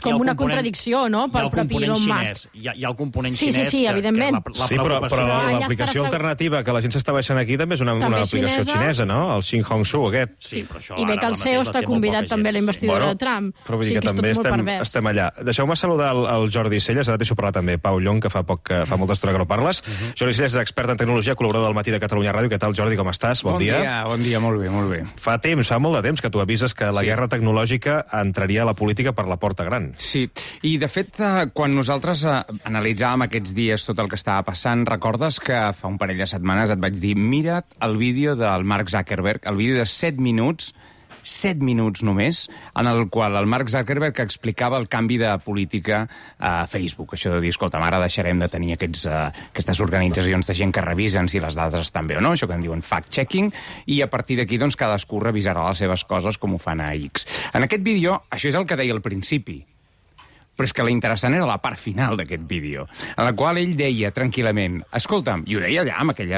Speaker 3: com una contradicció, no?, pel propi Elon Musk.
Speaker 8: Hi ha el component
Speaker 3: xinès. Sí, evidentment.
Speaker 2: Sí, però l'aplicació alternativa que la gent s'està baixant aquí també és una aplicació xinesa, no? El Xinhongsu, aquest.
Speaker 3: Sí, i bé que el CEO està convidat també a la investidura de Trump.
Speaker 2: Però vull dir que també estem allà. Deixeu-me saludar el Jordi Celles, ara deixo parlar també Pau Llong, que fa molta estona que no parles. Jordi Celles és expert en tecnologia, col·laborador del Matí de Catalunya Ràdio. Què tal, Jordi, com estàs? Bon dia.
Speaker 9: Bon dia, molt bé.
Speaker 2: Fa molt de temps que tu avises que la guerra tecnològica entraria a la política per la porta gran.
Speaker 9: Sí, i de fet, quan nosaltres analitzàvem aquests dies tot el que estava passant, recordes que fa un parell de setmanes et vaig dir, mira't el vídeo del Mark Zuckerberg, el vídeo de 7 minuts només, en el qual el Mark Zuckerberg explicava el canvi de política a Facebook. Això de dir, escolta, ara deixarem de tenir aquestes organitzacions de gent que revisen si les dades estan bé o no, això que en diuen fact-checking, i a partir d'aquí doncs, cadascú revisarà les seves coses com ho fan a X. En aquest vídeo, això és el que deia al principi, però és que l'interessant era la part final d'aquest vídeo, en la qual ell deia tranquil·lament, escolta'm, i ho deia allà amb aquell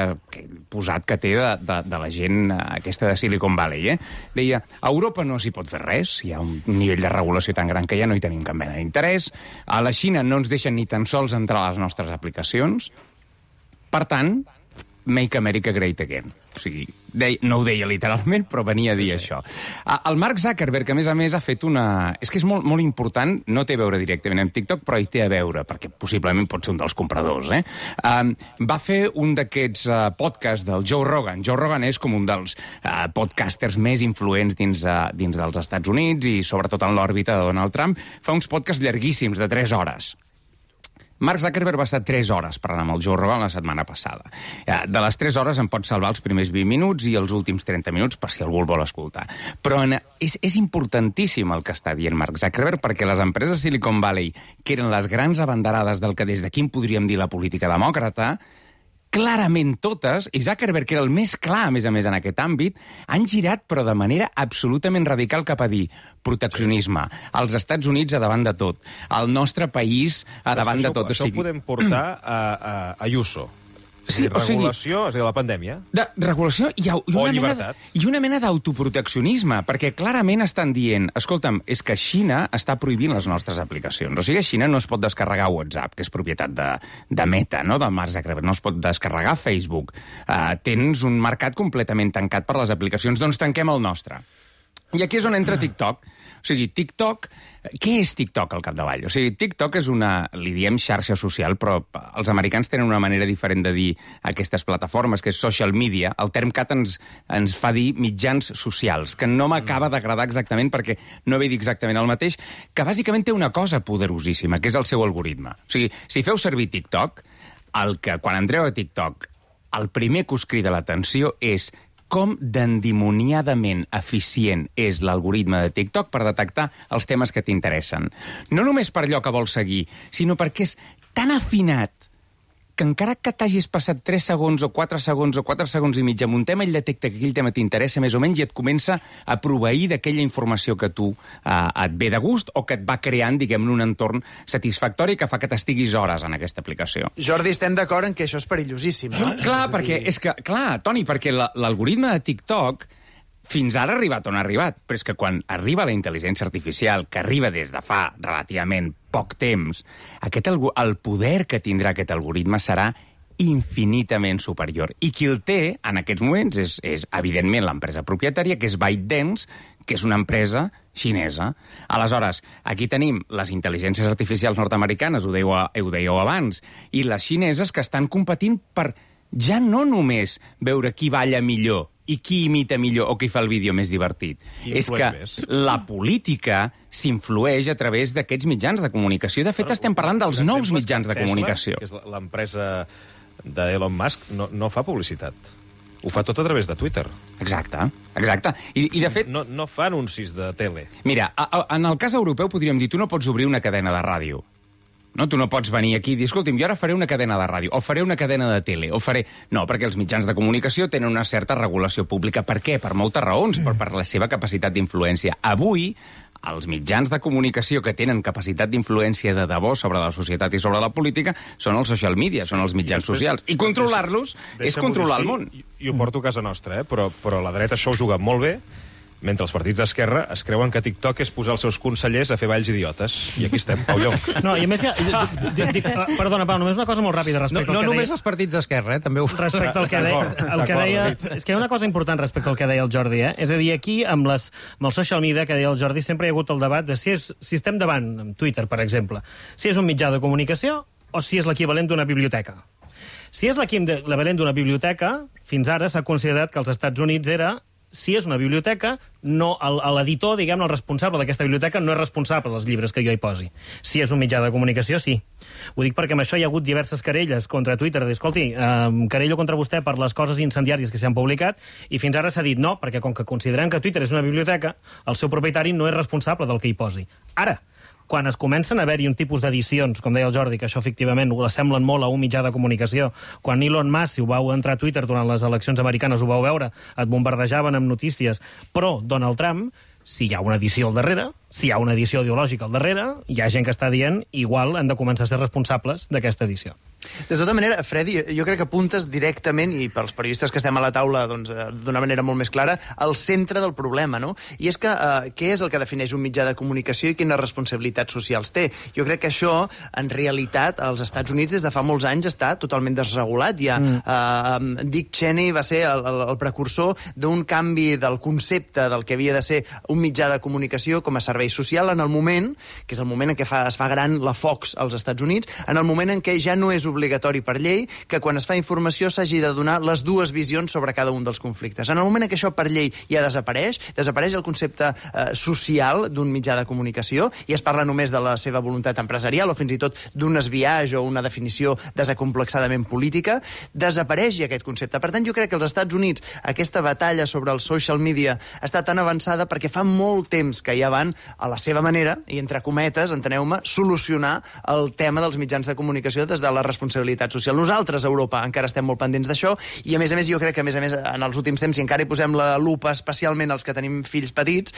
Speaker 9: posat que té de la gent aquesta de Silicon Valley, deia, a Europa no s'hi pot fer res, hi ha un nivell de regulació tan gran que ja no hi tenim cap mena d'interès, a la Xina no ens deixen ni tan sols entrar a les nostres aplicacions, per tant, Make America Great Again. O sigui, no ho deia literalment, però venia a dir això. El Mark Zuckerberg, a més, ha fet una... És que és molt, molt important, no té a veure directament amb TikTok, però hi té a veure, perquè possiblement pot ser un dels compradors, va fer un d'aquests podcasts del Joe Rogan. Joe Rogan és com un dels podcasters més influents dins dels Estats Units i sobretot en l'òrbita de Donald Trump. Fa uns podcasts llarguíssims, de 3 hores. Mark Zuckerberg va estar 3 hores parlant amb el Joe Rogan la setmana passada. De les 3 hores en pot salvar els primers 20 minuts i els últims 30 minuts per si algú el vol escoltar. Però és importantíssim el que està dient Mark Zuckerberg perquè les empreses Silicon Valley, que eren les grans abanderades del que des d'aquí en podríem dir la política demòcrata, clarament totes, i Zuckerberg, que era el més clar, a més en aquest àmbit, han girat, però de manera absolutament radical cap a dir proteccionisme, als Estats Units a davant de tot, el nostre país a davant de tot.
Speaker 2: Això ho podem portar a Ayuso. Sí, regulació, és a dir, la pandèmia.
Speaker 9: De regulació i una mena d'autoproteccionisme, perquè clarament estan dient, escolta'm, és que Xina està prohibint les nostres aplicacions. O sigui, a Xina no es pot descarregar WhatsApp, que és propietat de Meta, no?, del Mark Zuckerberg, no es pot descarregar Facebook. Tens un mercat completament tancat per les aplicacions, doncs tanquem el nostre. I aquí és on entra TikTok. O sigui, TikTok... Què és TikTok al capdavall? O sigui, TikTok és li diem xarxa social, però els americans tenen una manera diferent de dir aquestes plataformes, que és social media. El term cat ens fa dir mitjans socials, que no m'acaba d'agradar exactament perquè no ve dir exactament el mateix, que bàsicament té una cosa poderosíssima, que és el seu algoritme. O sigui, si feu servir TikTok, quan entreu a TikTok, el primer que us crida l'atenció és com d'endimoniadament eficient és l'algoritme de TikTok per detectar els temes que t'interessen. No només per allò que vols seguir, sinó perquè és tan afinat que encara que t'hagis passat 3 segons o 4 segons o 4 segons i mig amb un tema, ell detecta que aquell tema t'interessa més o menys i et comença a proveir d'aquella informació que tu et ve de gust o que et va creant, diguem-ne, un entorn satisfactori que fa que t'estiguis hores en aquesta aplicació.
Speaker 7: Jordi, estem d'acord en que això és perillosíssim, no?
Speaker 9: Clar, Toni, perquè l'algoritme de TikTok fins ara ha arribat on ha arribat, però és que quan arriba la intel·ligència artificial, que arriba des de fa relativament poc temps, el poder que tindrà aquest algoritme serà infinitament superior. I qui el té, en aquests moments, és evidentment l'empresa propietària, que és ByteDance, que és una empresa xinesa. Aleshores, aquí tenim les intel·ligències artificials nord-americanes, ho dèieu abans, i les xineses que estan competint per ja no només veure qui balla millor i qui imita millor o qui fa el vídeo més divertit. És que la política s'influeix a través d'aquests mitjans de comunicació. De fet, estem parlant dels nous mitjans de comunicació.
Speaker 2: Tesla, que és l'empresa d'Elon Musk, no fa publicitat. Ho fa tot a través de Twitter.
Speaker 9: Exacte. I de fet...
Speaker 2: No fa anuncis de tele.
Speaker 9: Mira, en el cas europeu podríem dir, tu no pots obrir una cadena de ràdio. No, tu no pots venir aquí i dir, escolta'm, jo ara faré una cadena de ràdio, o faré una cadena de tele, o faré... No, perquè els mitjans de comunicació tenen una certa regulació pública. Per què? Per moltes raons, per la seva capacitat d'influència. Avui, els mitjans de comunicació que tenen capacitat d'influència de debò sobre la societat i sobre la política són els social media, són els mitjans socials. I controlar-los és controlar el món.
Speaker 2: Jo porto a casa nostra, però la dreta això ho juga molt bé, mentre els partits d'esquerra es creuen que TikTok és posar els seus consellers a fer balls idiotes. I aquí estem, Pau Llong.
Speaker 22: No, i a més, perdona, Pau, només una cosa molt ràpida respecte al que deia...
Speaker 1: No només els partits d'esquerra, també ho...
Speaker 22: Respecte al que deia... És que hi ha una cosa important respecte al que deia el Jordi, eh? És a dir, aquí, amb el social media que deia el Jordi, sempre hi ha hagut el debat de si estem davant, amb Twitter, per exemple, si és un mitjà de comunicació o si és l'equivalent d'una biblioteca. Si és l'equivalent d'una biblioteca, fins ara s'ha considerat que als Estats Units era... Si és una biblioteca, l'editor, diguem, el responsable d'aquesta biblioteca no és responsable dels llibres que jo hi posi. Si és un mitjà de comunicació, sí. Ho dic perquè amb això hi ha hagut diverses querelles contra Twitter, de dir, escolti, querello contra vostè per les coses incendiàries que s'han publicat, i fins ara s'ha dit no, perquè com que considerem que Twitter és una biblioteca, el seu propietari no és responsable del que hi posi. Ara, quan es comencen a haver-hi un tipus d'edicions, com deia el Jordi, que això efectivament l'assemblen molt a un mitjà de comunicació, quan Elon Musk, si ho vau entrar a Twitter durant les eleccions americanes, ho vau veure, et bombardejaven amb notícies, però Donald Trump, si hi ha una edició al darrere, si hi ha una edició ideològica al darrere, hi ha gent que està dient igual han de començar a ser responsables d'aquesta edició.
Speaker 7: De tota manera, Freddy, jo crec que apuntes directament, i pels periodistes que estem a la taula d'una manera molt més clara, al centre del problema, no? I és que què és el que defineix un mitjà de comunicació i quines responsabilitats socials té? Jo crec que això, en realitat, als Estats Units des de fa molts anys està totalment desregulat. Dick Cheney va ser el precursor d'un canvi del concepte del que havia de ser un mitjà de comunicació com a servei social en el moment, que és el moment en què es fa gran la Fox als Estats Units, en el moment en què ja no és obligatori per llei que quan es fa informació s'hagi de donar les dues visions sobre cada un dels conflictes. En el moment en què això per llei ja desapareix el concepte social d'un mitjà de comunicació i es parla només de la seva voluntat empresarial o fins i tot d'un esbiaix o una definició desacomplexadament política, desapareix aquest concepte. Per tant, jo crec que als Estats Units aquesta batalla sobre el social media està tan avançada perquè fa molt temps que ja van, a la seva manera, i entre cometes, enteneu-me, solucionar el tema dels mitjans de comunicació des de la responsabilitat social. Nosaltres, a Europa, encara estem molt pendents d'això i, a més, jo crec que, a més, en els últims temps, si encara hi posem la lupa, especialment els que tenim fills petits,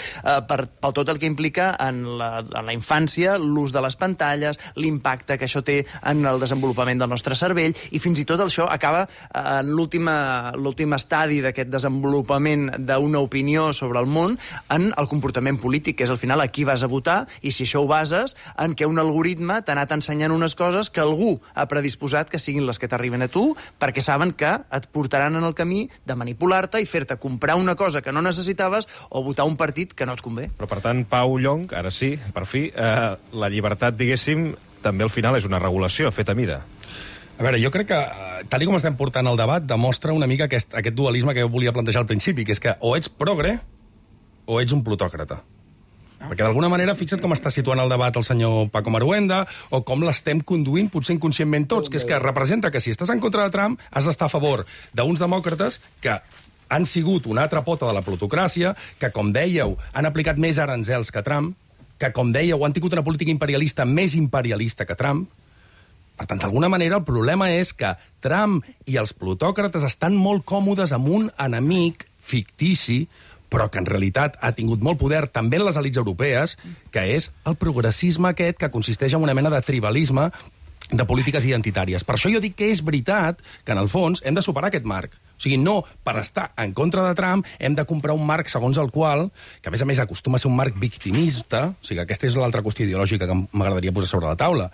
Speaker 7: per tot el que implica en la infància, l'ús de les pantalles, l'impacte que això té en el desenvolupament del nostre cervell i fins i tot això acaba en l'últim estadi d'aquest desenvolupament d'una opinió sobre el món en el comportament polític, que és al final a qui vas a votar i si això ho bases en què un algoritme t'ha anat ensenyant unes coses que algú ha predisposat que siguin les que t'arriben a tu perquè saben que et portaran en el camí de manipular-te i fer-te comprar una cosa que no necessitaves o votar un partit que no et convé.
Speaker 2: Però, per tant, Pau Llong, ara sí, per fi, la llibertat, diguéssim, també al final és una regulació feta a mida.
Speaker 5: A veure, jo crec que, tal com estem portant el debat, demostra una mica aquest dualisme que jo volia plantejar al principi, que és que o ets progre o ets un plutòcrata. Perquè d'alguna manera, fixa't com està situant el debat el senyor Paco Maruenda, o com l'estem conduint, potser inconscientment tots, que és que representa que si estàs en contra de Trump, has d'estar a favor d'uns demòcrates que han sigut una altra pota de la plutocràcia, que, com dèieu, han aplicat més aranzels que Trump, que, com dèieu, han tingut una política imperialista més imperialista que Trump. Per tant, d'alguna manera, el problema és que Trump i els plutòcrates estan molt còmodes amb un enemic fictici, però que en realitat ha tingut molt poder també en les elits europees, que és el progressisme aquest que consisteix en una mena de tribalisme de polítiques identitàries. Per això jo dic que és veritat que, en el fons, hem de superar aquest marc. O sigui, no per estar en contra de Trump hem de comprar un marc segons el qual, que a més acostuma a ser un marc victimista, o sigui, aquesta és l'altra qüestió ideològica que m'agradaria posar sobre la taula.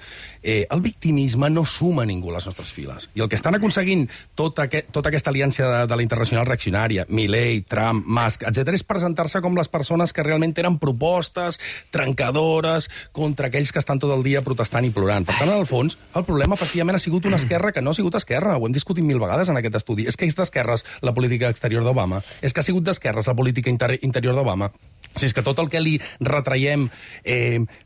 Speaker 5: El victimisme no suma ningú a les nostres files. I el que estan aconseguint tota aquesta aliança de la internacional reaccionària, Milei, Trump, Musk, etc., és presentar-se com les persones que realment tenen propostes trencadores contra aquells que estan tot el dia protestant i plorant. Per tant, en el fons, el problema efectivament ha sigut una esquerra que no ha sigut esquerra. Ho hem discutit 1000 vegades en aquest estudi. És que és d'esquerres la política exterior d'Obama. És que ha sigut d'esquerres la política interior d'Obama. O sigui, és que tot el que li retraiem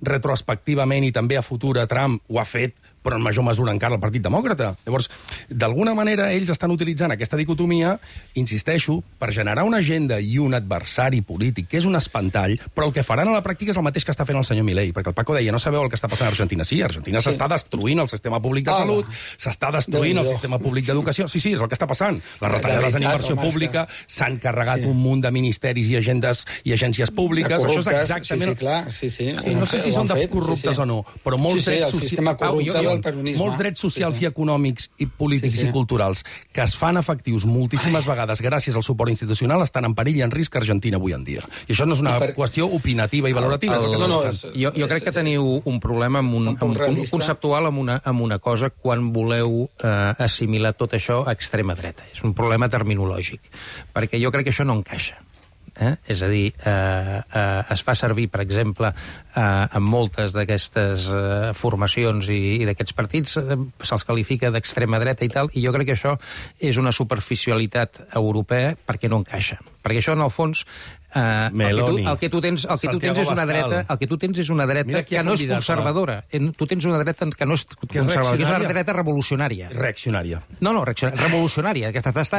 Speaker 5: retrospectivament i també a futur a Trump ho ha fet però en major mesura encara el Partit Demòcrata. Llavors, d'alguna manera, ells estan utilitzant aquesta dicotomia, insisteixo, per generar una agenda i un adversari polític, que és un espantall, però el que faran a la pràctica és el mateix que està fent el senyor Milei, perquè el Paco deia, no sabeu el que està passant a Argentina. Sí, a Argentina s'està destruint el sistema públic de salut, s'està destruint el sistema públic d'educació. Sí, és el que està passant. Les retallades en inversió pública, s'han carregat un munt de ministeris i agendes i agències públiques. Això és exactament... No sé si són de corruptes o no, però molts drets socials i econòmics i polítics i culturals que es fan efectius moltíssimes vegades gràcies al suport institucional estan en perill i en risc a Argentina avui en dia. I això no és una qüestió opinativa i valorativa.
Speaker 1: Jo crec que teniu un problema conceptual amb una cosa quan voleu assimilar tot això a extrema dreta. És un problema terminològic, perquè jo crec que això no encaixa. És a dir, es fa servir, per exemple, en moltes d'aquestes formacions i d'aquests partits, se'ls qualifica d'extrema dreta i tal, i jo crec que això és una superficialitat europea perquè no encaixa. Perquè això, en el fons, el que tu tens és una dreta que no és conservadora. Tu tens una dreta que no és conservadora, que és una dreta revolucionària.
Speaker 5: Reaccionària.
Speaker 1: No, revolucionària. Està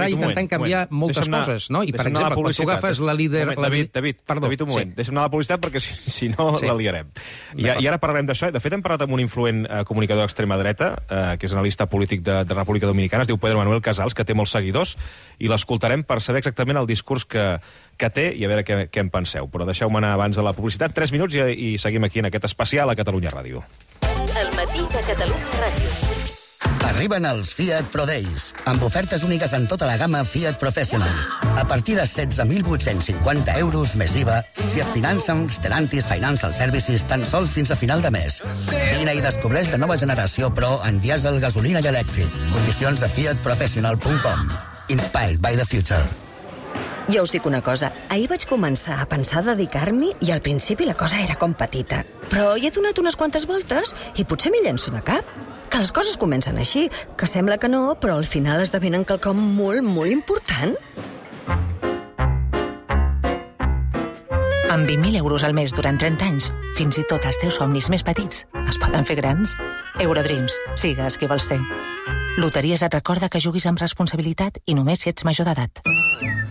Speaker 1: intentant canviar moltes coses, no? I, per exemple, quan tu agafes la líder...
Speaker 2: David, un moment. Deixa'm anar a la publicitat perquè si no la liarem. I ara parlarem d'això. De fet, hem parlat amb un influent comunicador d'extrema dreta, que és analista polític de República Dominicana, es diu Pedro Manuel Casals, que té molts seguidors, i l'escoltarem per saber exactament el discurs que té i a veure què en penseu. Però deixeu-me anar abans de la publicitat. 3 minuts i seguim aquí en aquest especial a Catalunya Ràdio.
Speaker 14: El matí de Catalunya Ràdio.
Speaker 10: Arriben els Fiat Pro Days, amb ofertes úniques en tota la gamma Fiat Professional. A partir de 16.850 euros més IVA, si es finança amb Stellantis Financial Services tan sols fins a final de mes. Vine i descobreix la nova generació Pro en dièsel, gasolina i elèctric. Condicions a fiatprofessional.com. Inspired by the future.
Speaker 17: Jo us dic una cosa, ahir vaig començar a pensar dedicar-m'hi i al principi la cosa era com petita. Però hi he donat unes quantes voltes i potser m'hi llenço de cap. Que les coses comencen així, que sembla que no, però al final esdevenen quelcom molt, molt important.
Speaker 18: Amb 20.000 euros al mes durant 30 anys, fins i tot els teus somnis més petits es poden fer grans. Eurodreams, sigues qui vols ser. Loteries et recorda que juguis amb responsabilitat i només si ets major d'edat.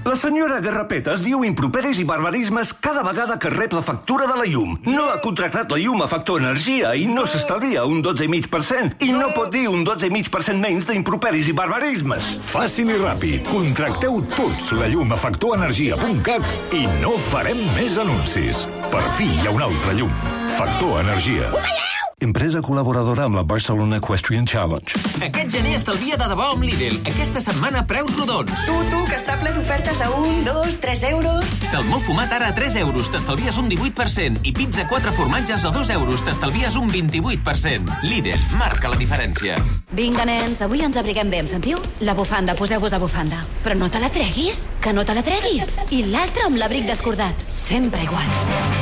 Speaker 11: La senyora Garrapetes diu improperis i barbarismes cada vegada que rep la factura de la llum. No ha contractat la llum a Factor Energia i no s'estalvia un 12,5%. I no pot dir un 12,5% menys d'improperis i barbarismes.
Speaker 19: Fàcil i ràpid. Contracteu tots la llum a factorenergia.cat i no farem més anuncis. Per fi hi ha una altra llum. Factor Energia. Empresa col·laboradora amb la Barcelona Equestrian Challenge.
Speaker 13: Aquest gener estalvia de debò amb Lidl. Aquesta setmana preus rodons.
Speaker 17: Tu, que està ple d'ofertes a 1, 2, 3 euros.
Speaker 13: Salmó fumat ara a 3 euros, t'estalvies un 18%. I pizza 4 formatges a 2 euros, t'estalvies un 28%. Lidl, marca la diferència.
Speaker 15: Vinga, nens, avui ens abriguem bé, em sentiu? La bufanda, poseu-vos a bufanda. Però no te la treguis, que no te la treguis. I l'altre amb l'abric descordat. Sempre igual.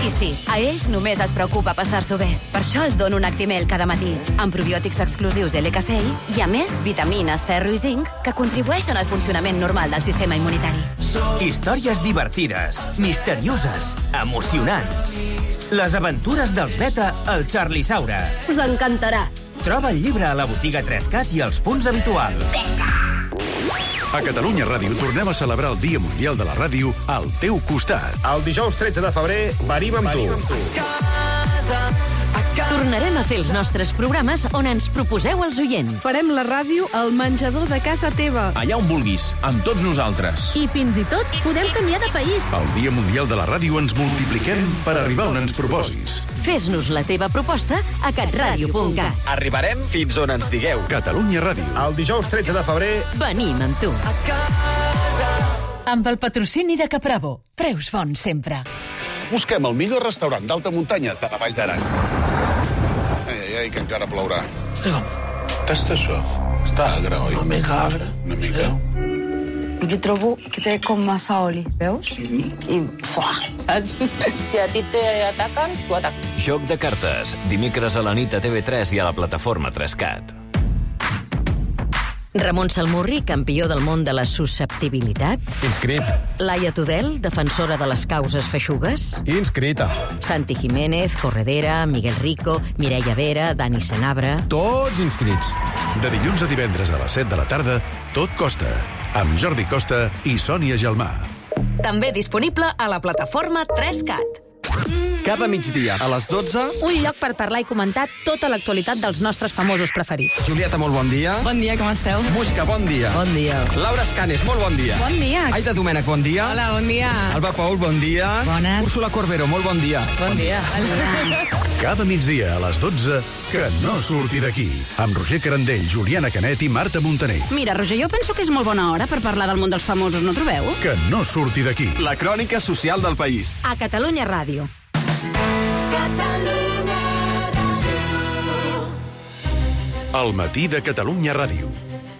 Speaker 15: I sí, a ells només es preocupa passar-s'ho bé. Per això els dono un Actimel cada matí, amb probiòtics exclusius LK6 i, a més, vitamines, ferro i zinc que contribueixen al funcionament normal del sistema immunitari.
Speaker 13: Històries divertides, misterioses, emocionants. Les aventures dels Beta al Charlie Saura.
Speaker 15: Us encantarà.
Speaker 13: Troba el llibre a la botiga 3CAT i als punts habituals.
Speaker 12: A Catalunya Ràdio tornem a celebrar el Dia Mundial de la Ràdio al teu costat.
Speaker 2: El dijous 13 de febrer venim amb tu.
Speaker 14: Tornarem a fer els nostres programes on ens proposeu els oients.
Speaker 25: Farem la ràdio al menjador de casa teva.
Speaker 20: Allà on vulguis, amb tots nosaltres.
Speaker 25: I fins i tot podem canviar de país.
Speaker 12: El Dia Mundial de la Ràdio ens multipliquem per arribar on ens proposis.
Speaker 14: Fes-nos la teva proposta a catradio.cat.
Speaker 20: Arribarem fins on ens digueu.
Speaker 12: Catalunya Ràdio.
Speaker 2: El dijous 13 de febrer
Speaker 14: venim amb tu.
Speaker 26: Amb el patrocini de Capravo. Preus bons sempre.
Speaker 27: Busquem el millor restaurant d'alta muntanya de la Vall d'Aran. Ai, que encara plourà. Tasta això. Està agre, oi?
Speaker 28: Una mica agre.
Speaker 27: Una mica.
Speaker 28: Jo trobo que té com massa oli, veus? I, saps? Si a ti t'ataquen, tu ataques.
Speaker 29: Joc de cartes. Dimecres a la nit a TV3 i a la plataforma 3CAT.
Speaker 14: Ramon Salmurri, campió del món de la susceptibilitat.
Speaker 3: Inscrit.
Speaker 14: Laia Tudel, defensora de les causes feixugues.
Speaker 3: Inscrita.
Speaker 14: Santi Jiménez, corredera, Miguel Rico, Mireia Vera, Dani Senabre...
Speaker 3: Tots inscrits.
Speaker 12: De dilluns a divendres a les 7 de la tarda, Tot Costa, amb Jordi Costa i Sònia Gelmà.
Speaker 14: També disponible a la plataforma 3CAT.
Speaker 4: Cada migdia a les 12...
Speaker 25: Un lloc per parlar i comentar tota l'actualitat dels nostres famosos preferits.
Speaker 4: Julieta, molt bon dia.
Speaker 25: Bon dia, com esteu?
Speaker 4: Muixca, bon dia.
Speaker 25: Bon dia.
Speaker 4: Laura Escanes, molt bon dia.
Speaker 25: Bon dia.
Speaker 4: Aita Domènech, bon dia.
Speaker 25: Hola, bon dia.
Speaker 4: Alba Paul, bon dia.
Speaker 25: Bones.
Speaker 4: Úrsula Corbero, molt bon dia.
Speaker 25: Bon dia.
Speaker 12: Cada migdia a les 12, que no surti d'aquí. Amb Roger Carandell, Juliana Canet i Marta Montaner.
Speaker 25: Mira, Roger, jo penso que és molt bona hora per parlar del món dels famosos, no trobeu?
Speaker 12: Que no surti d'aquí.
Speaker 4: La crònica social del país.
Speaker 25: A Catalunya Ràdio.
Speaker 12: El matí de Catalunya Ràdio.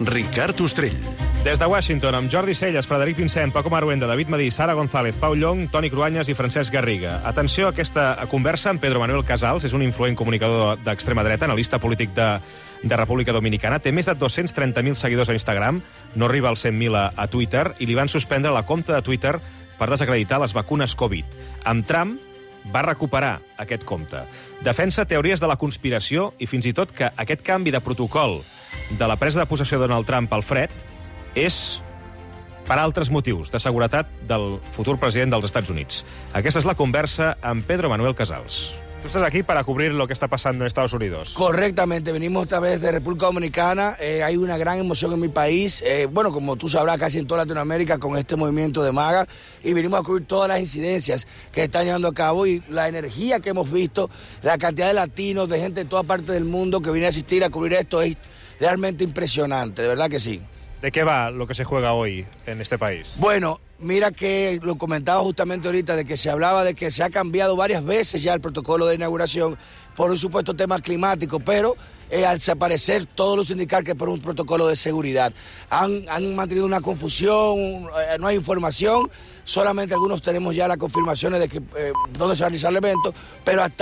Speaker 12: Ricard Ostrell.
Speaker 2: Des de Washington, amb Jordi Celles, Frederic Vincent, Paco Maruenda, David Madí, Sara González, Pau Llong, Toni Cruanyes i Francesc Garriga. Atenció a aquesta conversa amb Pedro Manuel Casals, és un influent comunicador d'extrema dreta, analista polític de República Dominicana. Té més de 230.000 seguidors a Instagram, no arriba als 100.000 a Twitter, i li van suspendre la compte de Twitter per desacreditar les vacunes Covid. Amb Trump va recuperar aquest compte. Defensa teories de la conspiració i fins i tot que aquest canvi de protocol de la presa de possessió de Donald Trump pel fred és per altres motius de seguretat del futur president dels Estats Units. Aquesta és la conversa amb Pedro Manuel Casals. Tú estás aquí para cubrir lo que está pasando en Estados Unidos.
Speaker 6: Correctamente, venimos esta vez de República Dominicana. Hay una gran emoción en mi país. Bueno, como tú sabrás, casi en toda Latinoamérica con este movimiento de MAGA. Y venimos a cubrir todas las incidencias que están llevando a cabo y la energía que hemos visto, la cantidad de latinos, de gente de toda parte del mundo que viene a asistir a cubrir esto es realmente impresionante, de verdad que sí.
Speaker 2: ¿De qué va lo que se juega hoy en este país?
Speaker 6: Bueno, mira que lo comentaba justamente ahorita, de que se hablaba de que se ha cambiado varias veces ya el protocolo de inauguración por un supuesto tema climático, pero al parecer todos los indicar que por un protocolo de seguridad. Han mantenido una confusión, no hay información, solamente algunos tenemos ya las confirmaciones de que dónde se va a realizar el evento, pero hasta